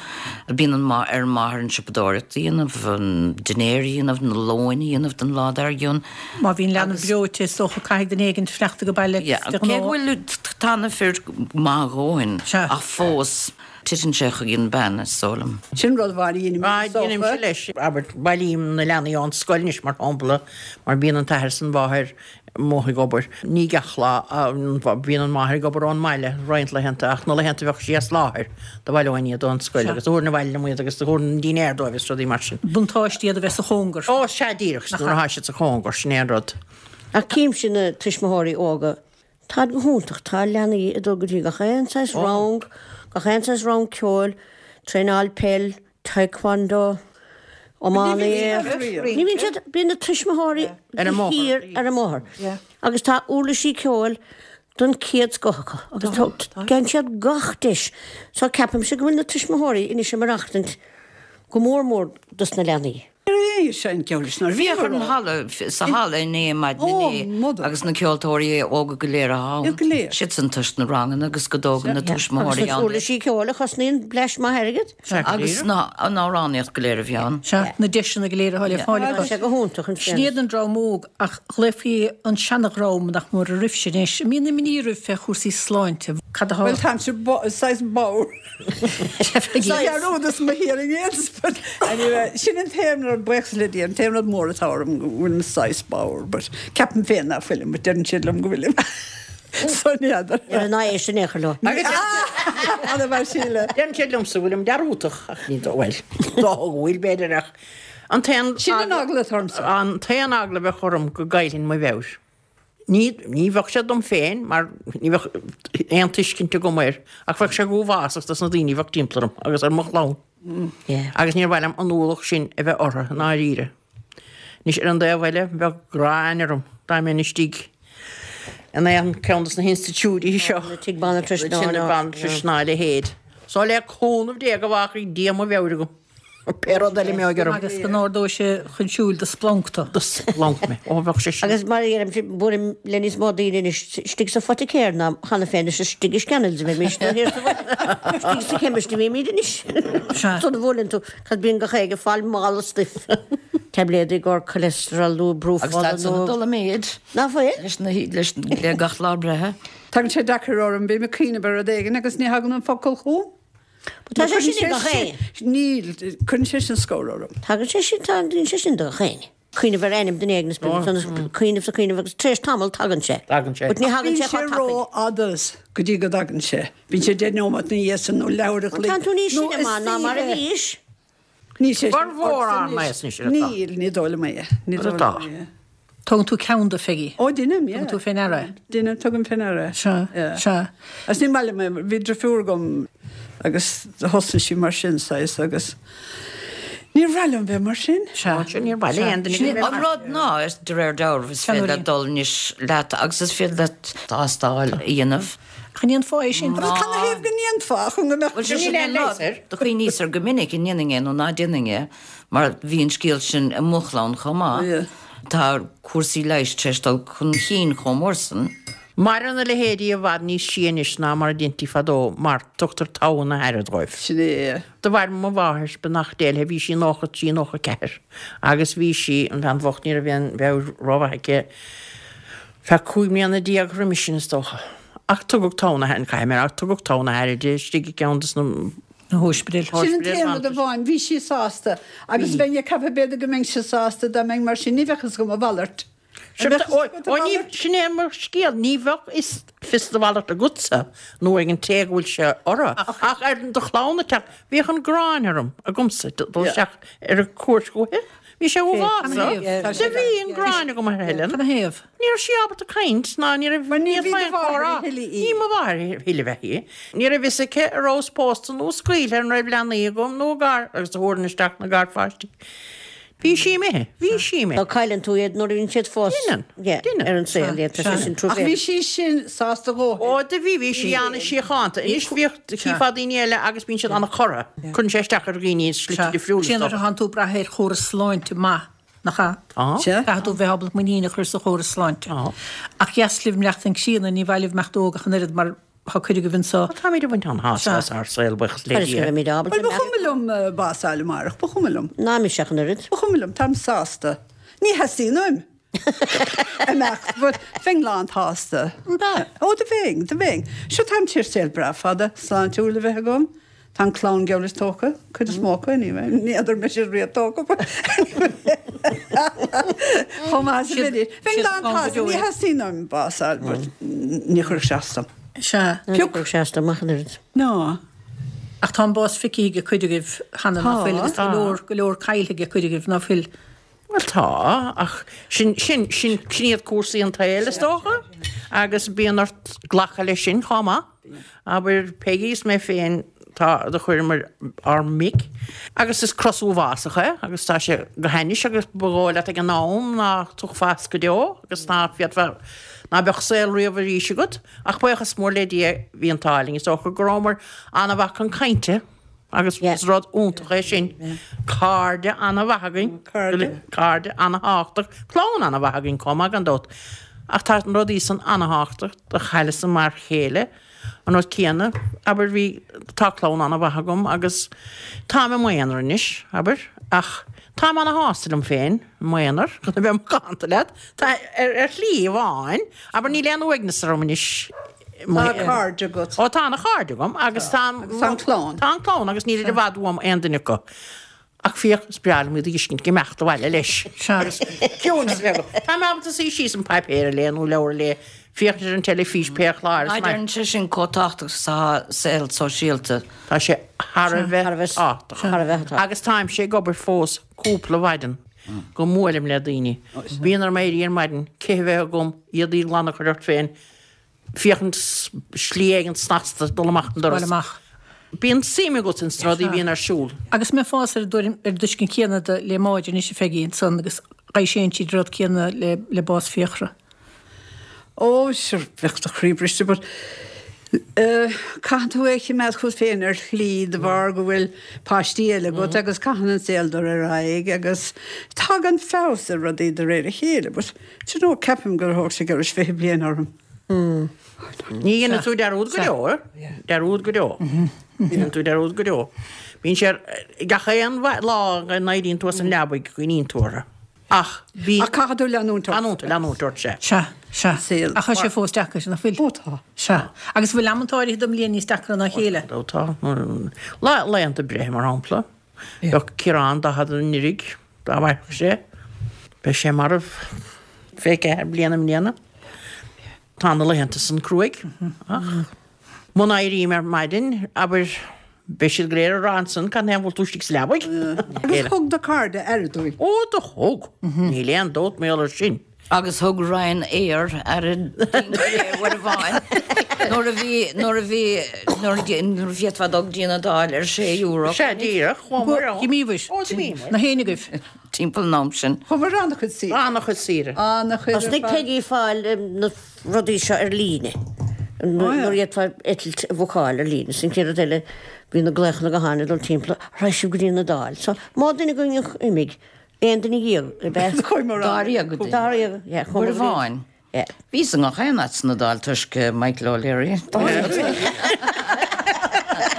Bíonn an ar an máthair an siopadóireacht a dhéanamh, an dinnéar a dhéanamh, na lóin a dhéanamh don lá dár gcionn.
Má bhíonn leanbh breoite, is dócha caithfidh duine éigin fanacht ag baile
Yeah,
de
cé go
ghnáth.
bhfuil tá na fir maith a dhóthain,
Sea.
ach fós titeann sé chuig an bean, is dóigh liom.
Sin rud amháin a dheinim
Ah,
is dócha.
Deinimse leis, abair, bailím na leanaí ón scoil anois mar shampla, mar bíonn an t-athair is an mháthair amuigh ag obair. Ní gach lá, bíonn an máthair ag obair ón mbaile roinnt laethanta ach na laethanta a bheadh sí as láthair do bhaileoinn iad ón scoil agus do thabharfainn abhaile liom iad agus do thabharfainn an dinnéar dóibh is rudaí mar sin.
Buntáiste iad a bheith sa chóngar.
Ó, sea díreach, nuair atá siad sa chóngar, sin é an rud.
Ach címse na tuismitheoirí óga, táid go hiontach, tá leanaí ag dul go dtí gach aon saghas rang, gach aon saghas rang ceoil, traenáil peil, taekwondo, iománaíocht. Ní bhíonn siad, bíonn na tuismitheoirí
Ar an mbóthar.
thiar ar an mbóthar. Agus tá uirlisí ceoil den chéad scoth acu agus tá gheibheann siad gach deis. So ceapaimse go bhfuil na tuismitheoirí anois ag maireachtaint go mór mór dos na leanaí.
É sin ceolis nar
Bhíodh ar an halla, sa halla inné maidin
Ó,
inné
mother.
agus na ceoltóirí óga go léir ann.
Iad go léir.
Siad san toisc na ranganna agus go dtógann na
Agus
tuismitheoirí
na
ann.
uirlisí ceoil a chosnaíonn bleaist maith airgid.
Agus na an amhránaíocht go léir a bhí ann.
Sea, na deiseanna go léir atá le fáil
Tá
acu.
sé go hiontach an
Sin iad an dream óg ach ghlaofaí an seanadhream nach mór oraibhse anois. An mbíonn imní oraibh fé chúrsaí sláinte. Cad atá?
Well táimse saghas bodhar. Dearúdas mo hearing aids, but anyway, sin an t-aon rud buíochas le Dia, an t-aon rud mór atá orm go bhfuilim saghas bodhar, but ceapaim féin ná fuilim, but deireann siad liom go bhfuilim. So n'fheadar.
Ar an éis sin échar leo.
Ana mar síle.
Deireann siad liomsa go bhfuilim dearúdach ach ní dó bhfuil. Dó go bhfuil b'fhéidir ach an t-aon
Sin an eagla atá ormsa.
An t-aon eagla a bheadh orm go gcaillfinn mo mheabhair. Ní ní bheadh sé dom féin mar ní bheadh aon tuiscint agam air ach bheadh sé go huafásach dos na daoine a bheadh timpeall orm agus ar mo chlann.
Yeah.
Agus níor mhaith liom an ualach sin a bheith orthu i ndáiríre. Anois ar an dtaobh eile bheadh gráin orm dá mbeinn istigh in aon ceann dos na hinstitiúidí seo.
Na tigh banaltrais ná
Sin na
ná.
banaltrais ná a leithéid. So le cúnamh Dé go bhfágfaidh Dia mo mheabhair agam. Pé rud eile a mbeadh orm.
Agus go n-ardóidh sé chun siúil do splanc tú.
Do splanc mé. Ó bheadh sé sin.
Agus mar a dheirim, buailim le níos mó daoine anois istigh sa phoiticéir ná cheana féin is istigh i Scannell's a bheimís nó thiar sa bhaile. Istigh sa chemist a bhímid anois.
Sea.
Sula bhuaileann tú, cad bíonn gach éinne ag fáil mála stuif. Taibléid i gcomhair cholesterol nó brú
Agus
fola
tá san
nó...
dul i méid
Ná fuil?
leis na leis le gach lá breithe.
Tagann sé deacair orm bím ag cuimhneamh ar rud éigin agus ní thagann an focal chugam.
Tá sé sin ag gach éinne.
Níl, cuireann sé sin scor orm.
Tagann sé sin tá sé sin do gach éinne. Cuimhneamh ar ainm duine éigin cuimhneamh sa cuimhneamh agus tar éis tamaill tagann sé.
Tagann sé.
But ní thagann
Bíonn
sé
sé
chomh tapaidh.
rófhada go dtí go dtagann sé. Bíonn sé deich nóiméad ina dhiaidh sin nó leathuair a chloig.
Tá tú níos
nó
sine mar ná mar a bhís.
Níl sé
Gur mhór ann é is níos atá.
Níl, ní dóigh liom é. Ní
Rud
dóigh
atá.
liom é.
Tugann tú ceann de Pheigí.
Ó déanaim,
Tugann tú faoi ndeara.
Déanaim tugaim faoi ndeara.
Sea,
Yeah.
sea.
Agus ní maith liom é, bhí deirfiúr agam agus thosnaigh sí mar sin saghas agus níor mhaith liom bheith mar sin.
Sea.
Sin níor mhaith le aon duine go
An rud ná is de réir dealraimh is féidir leat dul níos leat agus is féidir leat tástáil a dhéanamh.
Chan aon fáth é sin.
Agus canathaobh go ndéanfá chun go mbeadh
Well, sin
Níl
sin
aon leigheas air.
Do chuimhníos air go minic an ndéanfainn é nó ná déanfainn é, mar bhí an scéal sin i mo chlann chomh maith.
Yeah.
Tá cúrsaí leighis tar éis dul chun cinn chomh mór sin.
Maireann na leithéidí i bhfad níos sia anois ná mar a dhéantaí fadó mar tugtar togha na haire dóibh.
Sin é.
Do mhair mo mháthair beannacht Dé léi bhí sí nócha trí nócha ceathair agus bhí sí an bhean bhocht ní raibh aon mheabhair rómhaith aici feadh cúig mbliana déag roimis sin is dócha. Ach tugadh togha na haire caithfidh mé ach tugadh togha na haire di istigh i gceann des na
Na hospidéil.
Sin an t-aon rud amháin, bhí sí sásta, agus bheinn ag ceapadh b'fhéidir go mbeinn sí sásta dá mbeinn mar sin ní bheadh fhios agam a mhalairt.
Sin sin é mar scéal ní bheadh is fios do mhalairt agatsa nó ag an té go bhfuil sé orthu. Ach ar do chlann teach bhíodh an ghráin orm agamsa dul isteach ar a cuairt chuici. Bhí sé uafásach. De bhí an ghráin agam ar Helen.
Canathaobh.
Ní raibh sí ábalta caint ná ní raibh
Mar ní
ní
bhí
raibh
do mháthair
comhrá.
a thuilleadh í.
Ní mo mháthair a thuilleadh bheith í. Ní raibh fhios aici a raibh pósta nó scaoilte an raibh leanaí agam nó gar agus a thabharfainn isteach na garpháistí. Bhí sí imithe, bhí sí imithe.
Tá cailleann tú iad nuair a bhíonn siad fós.
Déanann,
Yeah,
déanann.
ar an saol, yeah, tá sé sin
Ach bhí sí sin sásta go.
Ó de bhí bhí sí ana-shíochánta. Anois bhíodh chífeá daoine eile agus bíonn siad an-chortha. Cuireann sé isteach ar dhaoine slite difriúla.
Sin a tánn tú ag brath ar chóras sláinte maith nach ea?
Tá.
Sea.
Caithfidh tú bheith ábalta muinín a chur sa chóras sláinte.
Tá.
Ach dheas libh imeacht an críonna ní bhailibh meacht ógach an oiread mar tá cuid agaibh anseo.
Táimid ag baint an-shásamh as ár saol buíochas le
Chuir
Dia.
go mbeimid ábalta.
Well, ba chuma liom eh, bás a fháil amárach, ba chuma liom.
Ná mise ach an oiread.
Ba chuma liom, táim sásta. Ní theastaíonn uaim. Imeacht, but bheinn lán-tsásta. Ó, do bheinn, do bheinn. Seo táim tar éis saol breá fada, sláintiúil a bheith agam. Tá an clann geall is tógtha, cuid is mó acu anyway. Ní fheadar mise riamh tógtha, but Chomh maith is a bhí. Bheinn lán-tsásta, ní theastaíonn uaim bás a fháil, but ní chuirfeadh sé as dom.
Sea.
Pioc sé amach an oiread.
No.
Ach tá an bás feicthe ag cuid agaibh cheana ná fuil agus go leor go leor caillte ag cuid agaibh ná fuil.
Well tá ach sin sin sin sin iad cúrsaí an tsaoil is dócha agus bíonn ort glacadh leis sin chomh maith. Abair Peggy is mé féin tá do chuireamar ár mic agus is cros uafásach é agus tá sé go hainnis agus ba dhóigh leat ag an am ná tiocfá as go deo agus ná féadfá ná beadh saol riamh arís agat ach buíochas mór le Dia bhí an t-ádh linn is dócha go rabhamar an-mhaith chun cainte agus
Yeah.
is rud iontach é sin cairde an-mhaith againn
Cairde.
cairde an-tábhachtach clann an-mhaith againn chomh maith gan dabht ach tá an rudaí san an-tábhachtach do chailleas mar chéile an rud céanna abair bhí tá clann an-mhaith agam agus táim i m'aonar anois abair ach táim ana-shásta liom féin m'aonar chun a bheith macánta leat tá ar ar shlí amháin abair níl aon uaigneas orm anois
Tá cairde agat.
Ó tá an-chairde agam agus tá
Agus tá an clann.
Tá an clann agus níl i bhfad uaim aon duine acu. Ach féach is breá liom iad a fheiscint ag imeacht abhaile leis.
Sea.
Ciúnas bheag. Tá mé ábalta suí síos an páipéar a léamh nó leabhar a léamh féachaint ar an teilifís pé chlár is maith.
Deireann sé sin chomh tábhachtach sa saol sóisialta.
Tá sé thar a
Thar a
bheith
bheith-
tábhachtach.
thar a bheith tábhachtach.
Agus táimse ag obair fós cúpla mhaidin go mbuailim le daoine. Bíonn orm éirí ar maidin cith a bheith agam éadaí glana a chur ort féin féachaint slí éigin snasta dul amach an doras.
Dul amach.
Bíonn suim agat ins na rudaí bhíonn ar siúl.
Agus mé fós ar dtuairim ar dtuiscint céanna de le Máire anois a Pheigí ansan agus ghaibh sé siad rud céanna le le bás Fiachra.
Ó, sure, bheadh do chroí briste, but uh, caitheann tú é a choimeád chugat féin ar shlí de bharr go bhfuil páistí eile agat agus caitheann an saol dul ar aghaidh agus tagann feabhas ar rudaí de réir a chéile, but do you know, ceapaim gur thóg sé gur fiche bliain orm.
Ní dhéanann tú dearúd go deo, dearúd go deo. Ní dhéanann tú dearúd go deo. Bíonn sé gach aon lá go n-éiríonn tú as an leabaidh cuimhníonn tú orthu. Ach bhí.
Ach caithfidh tú leanúint ort.
Leanúint, leanúint ort, sea.
Sea, sea.
Saol.
Ach tá sé fós deacair, nach bhfuil?
Ó tá.
Sea. Agus bhfuil amanta áirithe den mbliain níos deacra ná a chéile?
Ó tá. Lá, laethanta breithe, mar shampla. Bheadh Ciarán daichead anuraidh, dá mhairfeadh sé. Beidh sé marbh fiche ceathair bliain i mbliana. Tá na laethanta san cruaidh. Ach muna éirím ar maidin, abair, beidh siad go léir ag rá ansan, cad é an bhfuil tú istigh sa leabaidh?
Agus thug do cairde aire dúinn.
Ó, do thug. Níl aon dabht mar gheall air sin.
Agus thug Ryanair aire dúinn go léir uair amháin. Nuair a bhí, nuair a bhí, nuair a nuair a bhféadfá dul go dtí an Iodáil ar sé euro.
Sea, díreach, chuamar ann.
D'imíobhair.
Ó, d'imíomar.
Na héinne agaibh.
Timpeall an am sin.
Chuamar an-chuid saoire.
An-chuid saoire.
An-chuid ar
Thosnaigh
fad.
Peggy ag fáil na rudaí seo ar líne. Nuair a d'fhéadfá eitilt a bhookáil ar líne. Sin chéad rud eile, bhí na glaochanna gutháin ag dul timpeall, raibh sibh go dtí an Iodáil. So, má duine againn a imigh, aon duine dhéag, ab ea?
Chuamar ann.
Dáréag duine.
Dáréag, yeah, chuamar
Uair amháin.
Yeah.
Bhíos i ngach aon áit san Iodáil toisc Michael O'Leary.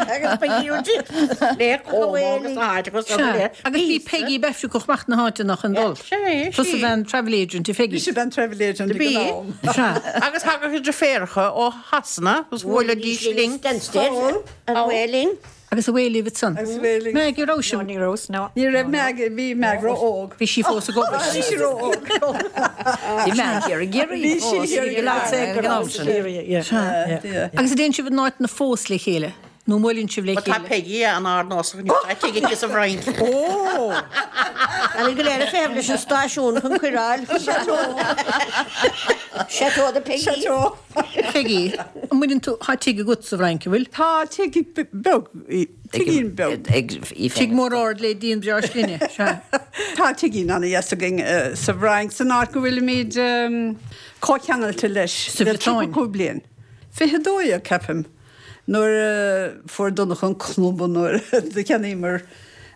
Agus Peggy
Le Como agus na háiteacha san go léir.
Agus bhí Peggy Befricoch amach na háite nach an dul.
Sé,
Tusa
sí.
bhean travel agent i Peggy.
Bhí sé bean travel agent ag
Bhí.
an am.
Sea.
Agus thagadh a deirfiúracha ó Shasana agus bhuailidís linn.
Stansted. An Whaling.
Agus a bhfuil libh san.
Agus Whaling.
Maggie raibh sibh.
Ní raibh, no.
Ní raibh Maggie, bhí Mag ró-óg.
Bhí sí fós ag obair.
Bhí sí ró-óg.
Bhí Maggie ar Ghiorraí
Bhí sí
fós,
ar
bhí go leor ag an am sin.
Sea. Agus a dtéann sibh in áit na fós le chéile, nó mbuaileann sibh le
Tá
chéile.
Peggy an ardnósach ní tá tigh sa Fhrainc.
Ó!
An go léir féh leis an stáisiún chun cuiráil. Chateau de Peggy.
Chateau.
Peggy, an mbaineann tú tá tigh agat sa Fhrainc, an bhfuil?
Tá tigh beag, tigín beag.
Tigh mór ard le díon breá slinne. Sea.
Tá tigín ana-dheas againn eh, sa Fhrainc san áit go bhfuilimid comhcheangailte leis.
Sa
le
Bhriotáin.
tríocha cúig bliain. Fiche dó dhéag ceapaim nuair a fuair Donncha an club nuair do cheannaíomar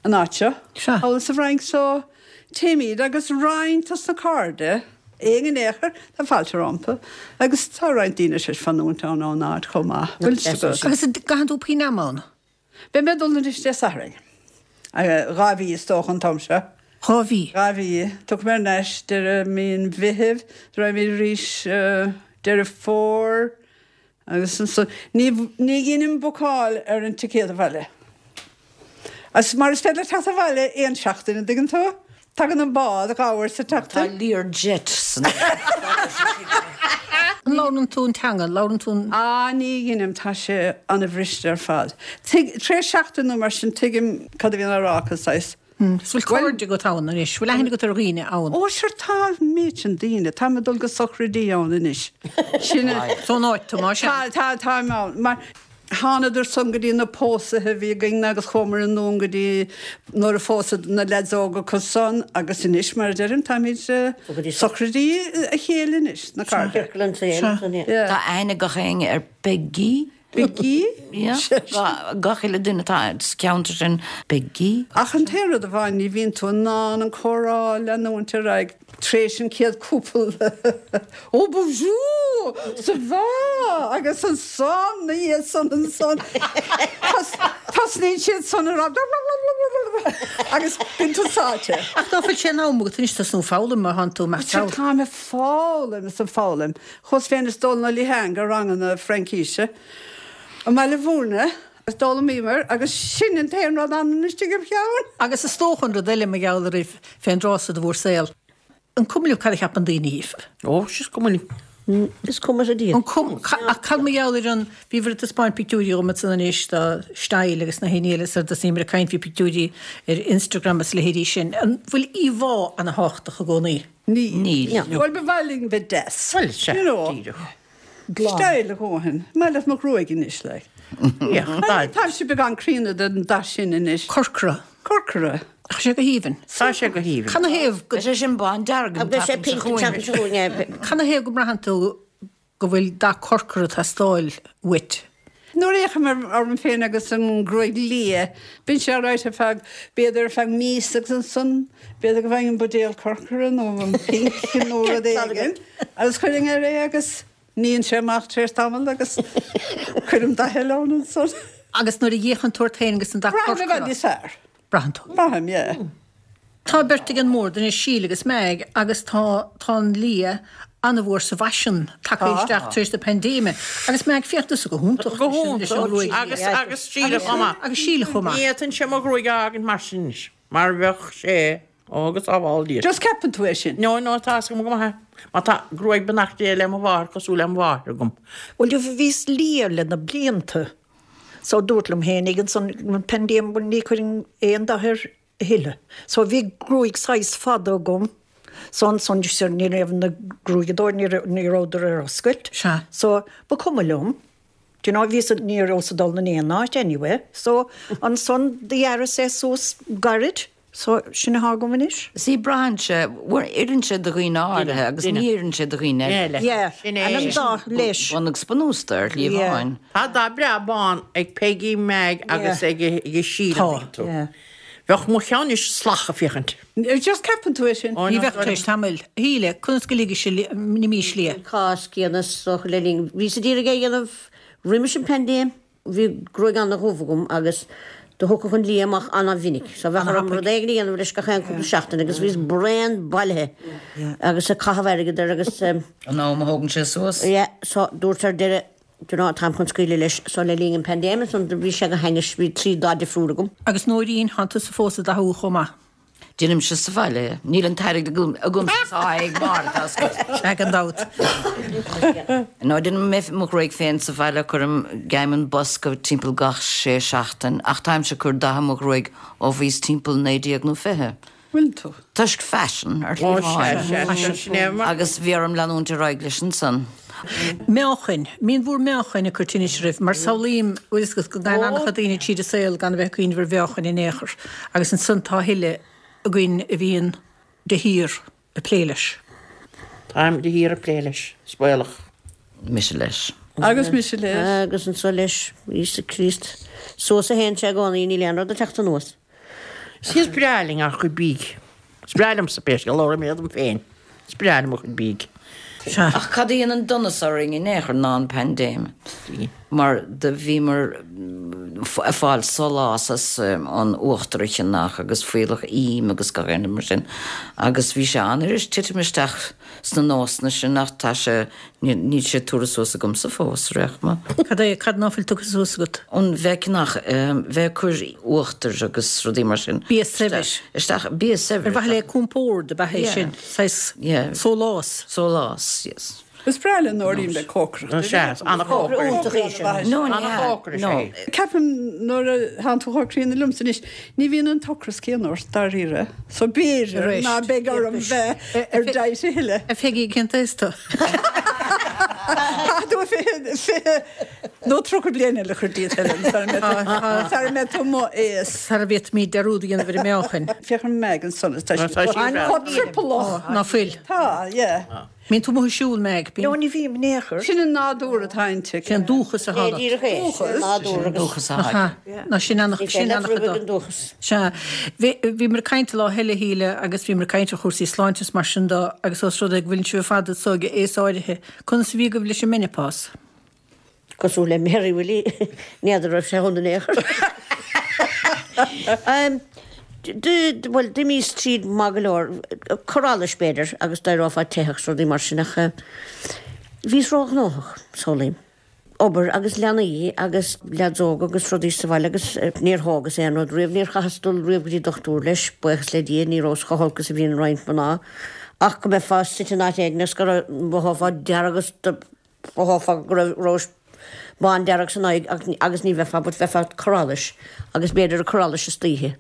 an áit seo.
Sea.
Thall sa Fhrainc so téimid agus roinnt as na cairde aon in éachair tá fáilte rompu agus tá roinnt daoine sé fanúint ann ón áit chomh maith. Bhfuil fhios agat?
Agus gcaitheann tú puinn am ann?
Beidh mé dul anois Dé Sathairn. Dhá mhí is dócha an t-am seo.
Dhá mhí.
Dhá mhí. Tiocfaidh mé ar ais deireadh mí an Mheithimh, raghaimid arís Deireadh Fómhair agus ansan ní ní dheinim bookáil ar an ticéad abhaile. As mar is féidir teacht abhaile aon seachtain an dtuigeann tú? Tagann an bád dhá uair sa
Tá
tseachtain.
Learjet san.
An labhrann tú an teanga, labhrann tú an...
Á ní dheinim tá sé ana-bhriste ar fad. Tig tré seachtain nó mar sin tuigim cad a bhíonn á rá acu saghas.
Is bhfuil cairde agat ann anois, bhfuil aithne agat ar dhaoine ann.
Ó sure tá méid sin daoine, tá mé dul go sochraidí ann anois. Sin
Són áit tú mar sin.
Tá tá tá ann mar thánadar san go dtí na pósaithe bhí againn agus chuamar anonn go dtí nuair a phósadh na lads óga san agus anois mar a deirim táimid
Go dtí
sochraidí a chéile anois na cairde.
Ciorcal an tsaoil, san, yeah.
Yeah.
Tá aithne gach éinne ar Peggy.
Peggy?
Yeah. Gach uile duine atá sa cheantar sin Peggy.
Ach an t-aon rud amháin ní bhíonn tú in ann an comhrá leanúint ar aghaidh tréis an chéad cúpla Ó bonjour ça va agus ansan na dhiaidh san ansan Tosnaíonn siad san rá agus bíonn tú sáite.
Ach ná fuil sé in am agat anois tosnú foghlaim mar thánn tú mar
Sure tá mé foghlaim is ag foghlaim. Chuas féin is Dónal Ó Liatháin go ranganna Fraincise. I mBaile Bhúirne is d'fhoghlaimíomar agus sin an t-aon rud ann istigh im cheann.
Agus is dócha an rud eile mar gheall oraibh fén dtráth so de bhur saol. An cuma libh cad a cheapann daoine dhíbh.
Ó, is cuma linn.
Is cuma sa Dia.
An cum ach cad mar gheall ar an bhí bhur taispeáint pictiúirí dhom san anois do style agus na héine eile ar dos nímar ag caint faoi pictiúirí ar Instagram is leithéidí sin. An bhfuil íomhá ana thábhachtach i gcónaí?
Ní.
Níl.
Bhuel ba mhaith linn bheith deas.
Bhuel, sea,
You know.
díreach.
Style a dhóthain. Maith leat mo ghruaig anois le.
Yeah,
Tá sé beagán críonna den dath sin anois.
Corcra.
Corcra.
Ach sé go haoibhinn.
Tá sé go haoibhinn.
Cad na thaobh go
Is é sin bándearg an
Agus sé
tseachtain seo
pink an
chugainn.
tseachtain seo chugainn,
Cad na thaobh go mbraitheann tú go bhfuil dath corcra teastáil uait?
Nuair a fhéachaim orm féin agus an ghruaig liath, bíonn sé right ar feadh b'fhéidir ar feadh míosa agus ansan b'fhéidir go bhfaighinn an buidéal corcra nó an pink nó rud éigin. Agus chuirfinn air é agus níonn sé amach tar éis tamall agus cuirim dath eile ann ansan.
Agus nuair a fhéachann tú ort féin agus an dath
Braithim i bhfad
corcra.
níos fearr.
Braitheann tú.
Braithim, yeah.
Tá beirt ag an mbord anois, Síle agus Meg, agus tá tá an liath an-mhór sa bhfaisean tagtha isteach tar éis na paindéime. Agus Meg, féach tusa go hiontach
Go
leis an- leis an
hiontach.
ghruaig.
Agus agus Síle chomh maith.
Agus Síle chomh maith.
Ní fhéadfainnse mo ghruaig a fhágaint mar sin anois, mar bheadh sé ó agus sábháil Dia.
Just ceapann tú é sin.
No, no, tá agam go maith. Má tá gruaig beannacht Dé le mo mháthair cosúil le mo mháthair agam.
Well, bhíos liath le na blianta. So dúirt liom féin ag an an paindéim ní chuirfinn aon dath air a thuilleadh. So bhí gruaig saghas fada agam. So ansan ní raibh na gruaigeadóir ní rabhadar ar oscailt.
Sea.
So ba cuma liom. Do you know, bhí ní raibh ag dul in aon áit anyway. So ansan d'ghearras é suas gairid. So sin atá agam anois.
Sí braitheann sé oireann sé do dhaoine áirithe agus ní oireann sé do dhaoine eile.
Yeah,
Sin
an
é.
an dath leis.
Bun agus bunús ar
Yeah.
líomháin.
Tá dath breá bán ag Peggy Meg agus ag ag Síle.
Tá.
tú.
Yeah.
Bheadh mo cheann is slach a féachaint.
Just ceapann tú é sin.
Ní bheadh tar éis tamaill. Shíle, conas go ligis na mís liath.
Cás céanna soch le linn. Bhí sa d'iarraidh é dhéanamh roimis an paindéim, bhí gruaig an-dhubh agam agus do thiocfadh an liath amach an-mhinic. So bheadh orm rud éigin a dhéanamh leis gach aon cúpla seachtain agus bhíos bréan bailithe agus ag caitheamh airgid air agus um,
An am a thógann sé suas.
Yeah, so dúirt ar deireadh do ná táim chun scaoileadh leis so le linn an paindéim san bhí sé go hainnis bhí trí dath difriúil agam.
Agus Nóirín tánn tusa fós ag dathú chomh maith.
Déanaimse sa bhaile, níl an t-airgead agam agam ag mar
Ag an dabht.
No déanaim mé mo ghruaig féin sa bhaile cuirim geim an bosca timpeall gach sé seachtain, ach táimse ag cur datha mo ghruaig ó bhíos timpeall naoi déag nó fiche.
Bhfuil tú.
Toisc fashion ar
Ó, sea, sea, sin é mar-
agus bhí orm leanúint ar aghaidh leis ansan.
Meáchain, Mín bhúr meáchain a chur tinnis roimh, mar samhlaím bhfuil go gan an-chuid daoine tríd an saol gan a bheith cuimhneamh ar mheáchain in aon chor, agus ansan tá thuilleadh againn a bhíonn de shíor ag plé leis.
Táim de shíor ag plé leis, spoilach.
Mise leis.
Agus mise leis.
Agus anso leis Íosa Críost. Suas a théann sé i gcónaí níl aon rud ag teacht anuas.
Is breá linn ár gcuid bídh. Is breá liomsa pé scéal labhraím dom féin. Is breá liom mo chuid bídh.
Sea.
Ach cad a dhein an donas orainn in aon chor ná an paindéim. Mar do bhíomar ag fáil sólás as um, an uachtar a cheannach agus fuíollach im agus gach aon mar sin. Agus bhí sé an-fhuirist titim isteach sna nósanna sin ach tá sé níl sé tugtha suas agamsa fós réachma.
Cad é cad ná fuil tugtha suas agat?
An bheith ceannach bheith ag cur uachtar agus rudaí mar sin.
Bia saibhir.
Isteach bia saibhir.
Ar mhaithe le compord a bheith é
Yeah.
sin, saghas
Yeah.
sólás.
Sólás, yes.
Is breá le Nóirín le cócaireacht.
Sea, an-chócaireacht.
No,
An-chócaireacht
no.
sé.
Ceapaim nuair a thánn tú chomh críonna liomsa anois, ní bhíonn an t-ocras céanna ort dáiríre. So b'fhéidir
Arís.
ná beidh orm bheith ar diet a thuilleadh.
A Pheigí cén t-aois tú.
Tá tú fiche fiche nó tríocha bliain eile a chur díot Helen, sara mbeidh tú mo aois.
Sara bhféadfaimid dearúd a dhéanamh ar an meáchain.
Féach ar Meg ansan tá
Tá sí breá.
chomh triopallach.
Ná fuil.
Tá, yeah.
Bíonn tú amuigh ag siúl Meg,
No
bíonn
ní bhím in aon chor.
Sin an nádúr atá inti.
Sin dúchas a thána.
Díreach é. Nádúr agus
Dúchas a tháid.
Ná sin an sin an
an dúchas.
Sea, bhíomar ag caint lá eile Shíle agus bhíomar ag caint ar chúrsaí sláinte mar sin de agus os rud é go bhfuil sibh ar fad so ag aois áirithe. Conas a bhí agaibh leis an menopause?
Cosúil le Mary Willie n'fheadar raibh sé ann in aon chor. Um, Well, d'imíos tríd maith go leor cur allais b'fhéidir agus d'éireofá teitheach rudaí mar sin ach bhíos róghnóthach samhlaím. Obair agus leanaí agus leaids óga agus rudaí sa bhaile agus níor thógas aon rud riamh níor chaitheas dul riamh go dtí dochtúir leis, buíochas le Dia ní rabhas chomh holc is a bhíonn roinnt mná ach go mbeifeá suite in áit éigin is go mbeifeá dearg agus mhothófá go raibh bándearg san aghaidh agus ní bheifeá but bheifeá ag cur allais agus b'fhéidir ag cur allais istoíche.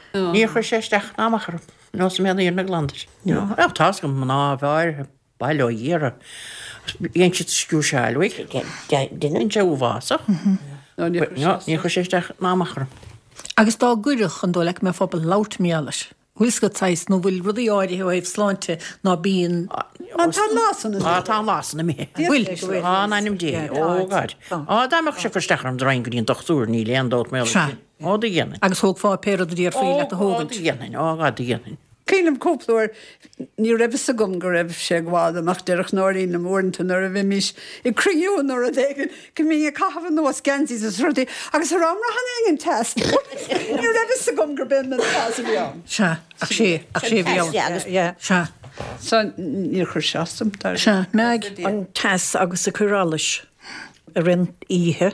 Níor chuir sé isteach ná amach orm. Nó sa mhéad na glandar. Tá go mná bhar bail ó Dhia. Dhein siad sciúrsáil uaidh.
Duine?
sé uafásach. Ní chuir sé isteach ná amach orm.
Agus dá gcuirfeadh an dóigh leat go mbeifeá ábalta labhairt mar gheall air. Bhfuil scut saghas nó bhfuil rudaí áirithe ó thaobh sláinte ná bíonn
An tá lásan
Á tá lásan mé.
Bhfuil.
Á ainm dé ó gad. Á dá mbeadh sé cur isteach orm raghainn go dtí an dochtúir níl aon dabht mé.
Sea.
Ó do dhéanfainn.
Agus thógfá pé rud a déarfaí leat a
Ó
thógaint.
do dhéanfainn, ó gad do dhéanfainn.
Cuimhin liom cúpla uair ní raibh fhios agam go raibh sé ag gabháil amach déarfadh Nóirín liom uaireanta nuair a bhímis ag cruinniú nó rud éigin go mbínn ag caitheamh anuas geansaí is rudaí agus ar am rath an éigin teas. Ní raibh fhios agam gurb é an teas a bhí ann.
Sea, ach sé, ach sé a bhí ann.
Agus
Yeah.
Sea,
So níor chuir sé as dom dar.
sea, Meaig.
An teas agus ag cur allais ar an oíche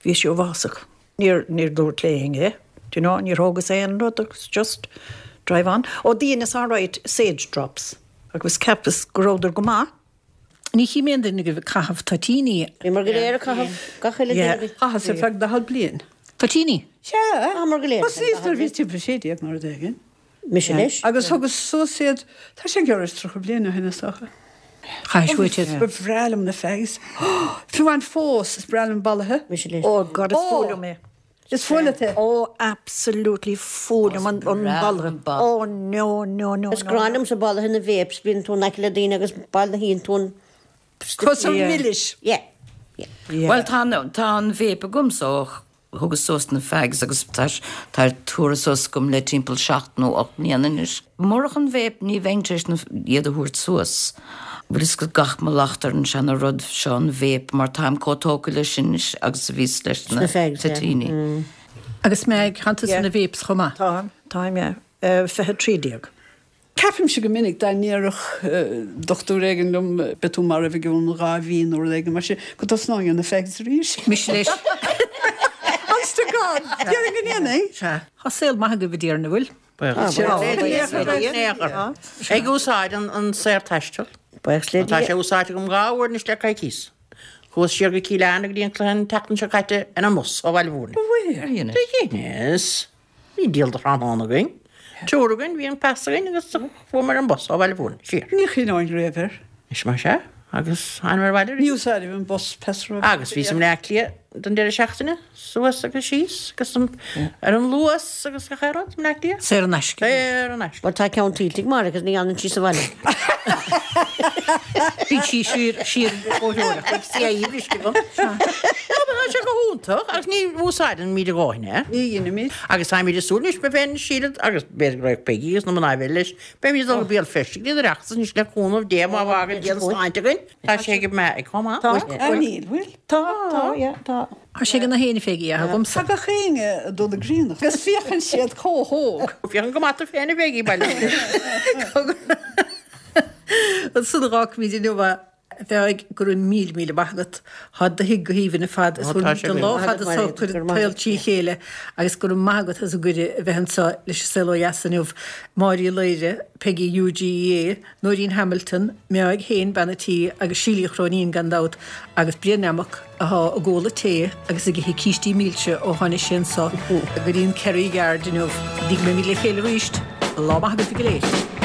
bhí sé uafásach. Níor níor dúirt léinn é. Do you know, níor thógas aon rud agus just drive on. Ó dheineas all right sage drops. Agus cheapas go rabhadar go maith.
Ní chí mé duine go caitheamh toitíní.
Bhí mar go léir a caitheamh gach uile
Yeah.
duine.
Chaitheas ar feadh daichead bliain.
Toitíní?
Sea.
Ah, mar go léir.
Thosaíos nuair a bhí timpeall sé déag nó rud éigin.
Mise leis.
Agus thugas suas iad tá sé gearr is tríocha bliain ó shin is dócha.
Chaith uait iad.
Ba bhreá liom na fags. Fiú amháin fós is breá liom bolaithe.
Mise leis.
Oh God, is
Oh.
fuath liom é.
Is fuath leat é.
Oh, absolutely fuath liom an an
breá
bolaithe.
an ball.
Oh no, no, no.
Is
no,
grá liom sa bolaithe na vapes, bíonn tú in aice le daoine agus bail na híonn tú an
Cosúil
Yeah.
milis.
Yeah. Yeah.
Yeah.
Well, tá tá an vape agam so thugas suas na fags agus tá tá tabhartha suas agam le timpeall seacht nó ocht mbliana anois. Murach an vape ní bheinn tar éis na iad a thabhairt suas. Bhfuil is go gach mo lacht ar an seana rud seo an vape mar táim chomh tógtha leis sin agus a bhíos leis na
Na fags, yeah.
toitíní.
Agus Meaig, tánn tú
Yeah.
na vapes chomh maith.
Táim, táim, yeah. Uh, fiche trí déag.
Ceapaimse go minic dá ndéarfadh dochtúir éigin liom beidh tú marbh i gceann dhá mhí nó rud éigin mar sin go dtosnóinn ar na fags arís.
Mise leis.
Honest to God, Déarfainn go ndéanfainn.
Sea, Tá saol maith agaibh a déarna bhfuil.
Ag úsáid an an saorthaisteal.
Buíochas le
Tá
Dia.
sé úsáidte agam dhá uair anois le coicís. Chuas siar go Cill Airne go dtí an cluiche an tseachtain seo caite ar an mbus ó Bhaile Mhúirne. Dheineas. Bhí díol de thráthnóna againn. Triúr againn, bhí an pas againn agus fuair an bus ó Bhaile Mhúirne siar.
Ní chuimhneoinn riamh air.
Is mar se agus an mar bhaile
Ní úsáidim an bus pesra.
Agus bhí sem le lia den deireadh seachtaine suas agus síos agus an- ar an Luas agus gach aon rud le lia.
Saor in aisce.
Saor in aisce.
Well tá ceann tuillte mar agus ní fhanann sí sa bhaile.
Bhí sí siar siar bóthóireacht.
Tá sé go hiontach agus ní úsáideann muid a dhóthain.
Ní dhéanaimid.
Agus táimid ag súil anois mé féin Síle agus b'fhéidir go raibh Peggy agus na mná eile leis. Beimid dul go Béal Feirste go dtí an Oireachtas anois le cúnamh Dé má fhágann Dia an sláinte againn. Tá sé go maith ag chomh maith.
Tá.
Ah, níl, bhfuil?
Tá, tá, yeah, tá.
Tá sé go na héine féige a agamsa.
Tá gach éinne ag dul ag grianach. Agus féachann siad chomh hóg.
Féachann go maith féin a Peggy baile.
An san rácmíd inniu bheith go raibh míle míle maith agat Tá do thigh go haoibhinn ar fad
Ó, tá sé
don
go
lá
maith
fad
agat, Máiréad,
chuir
go raibh maith
taol trí chéile agus go raibh maith agat as an gcuireadh a bheith anseo leis an Saol Ó Dheas inniu Máirí Laoire, Peggy UGEA, Nóirín Hamilton, Meáig Héin Beanatí agus Sílí Chróinín gan dabht agus Brian Amach atá ag ól tae agus ag ithe cístí milse ó tháinig sé anseo go dtí an Kerry Yard inniu. Dí mé mí le chéile arís, lá maith agaibh go léir.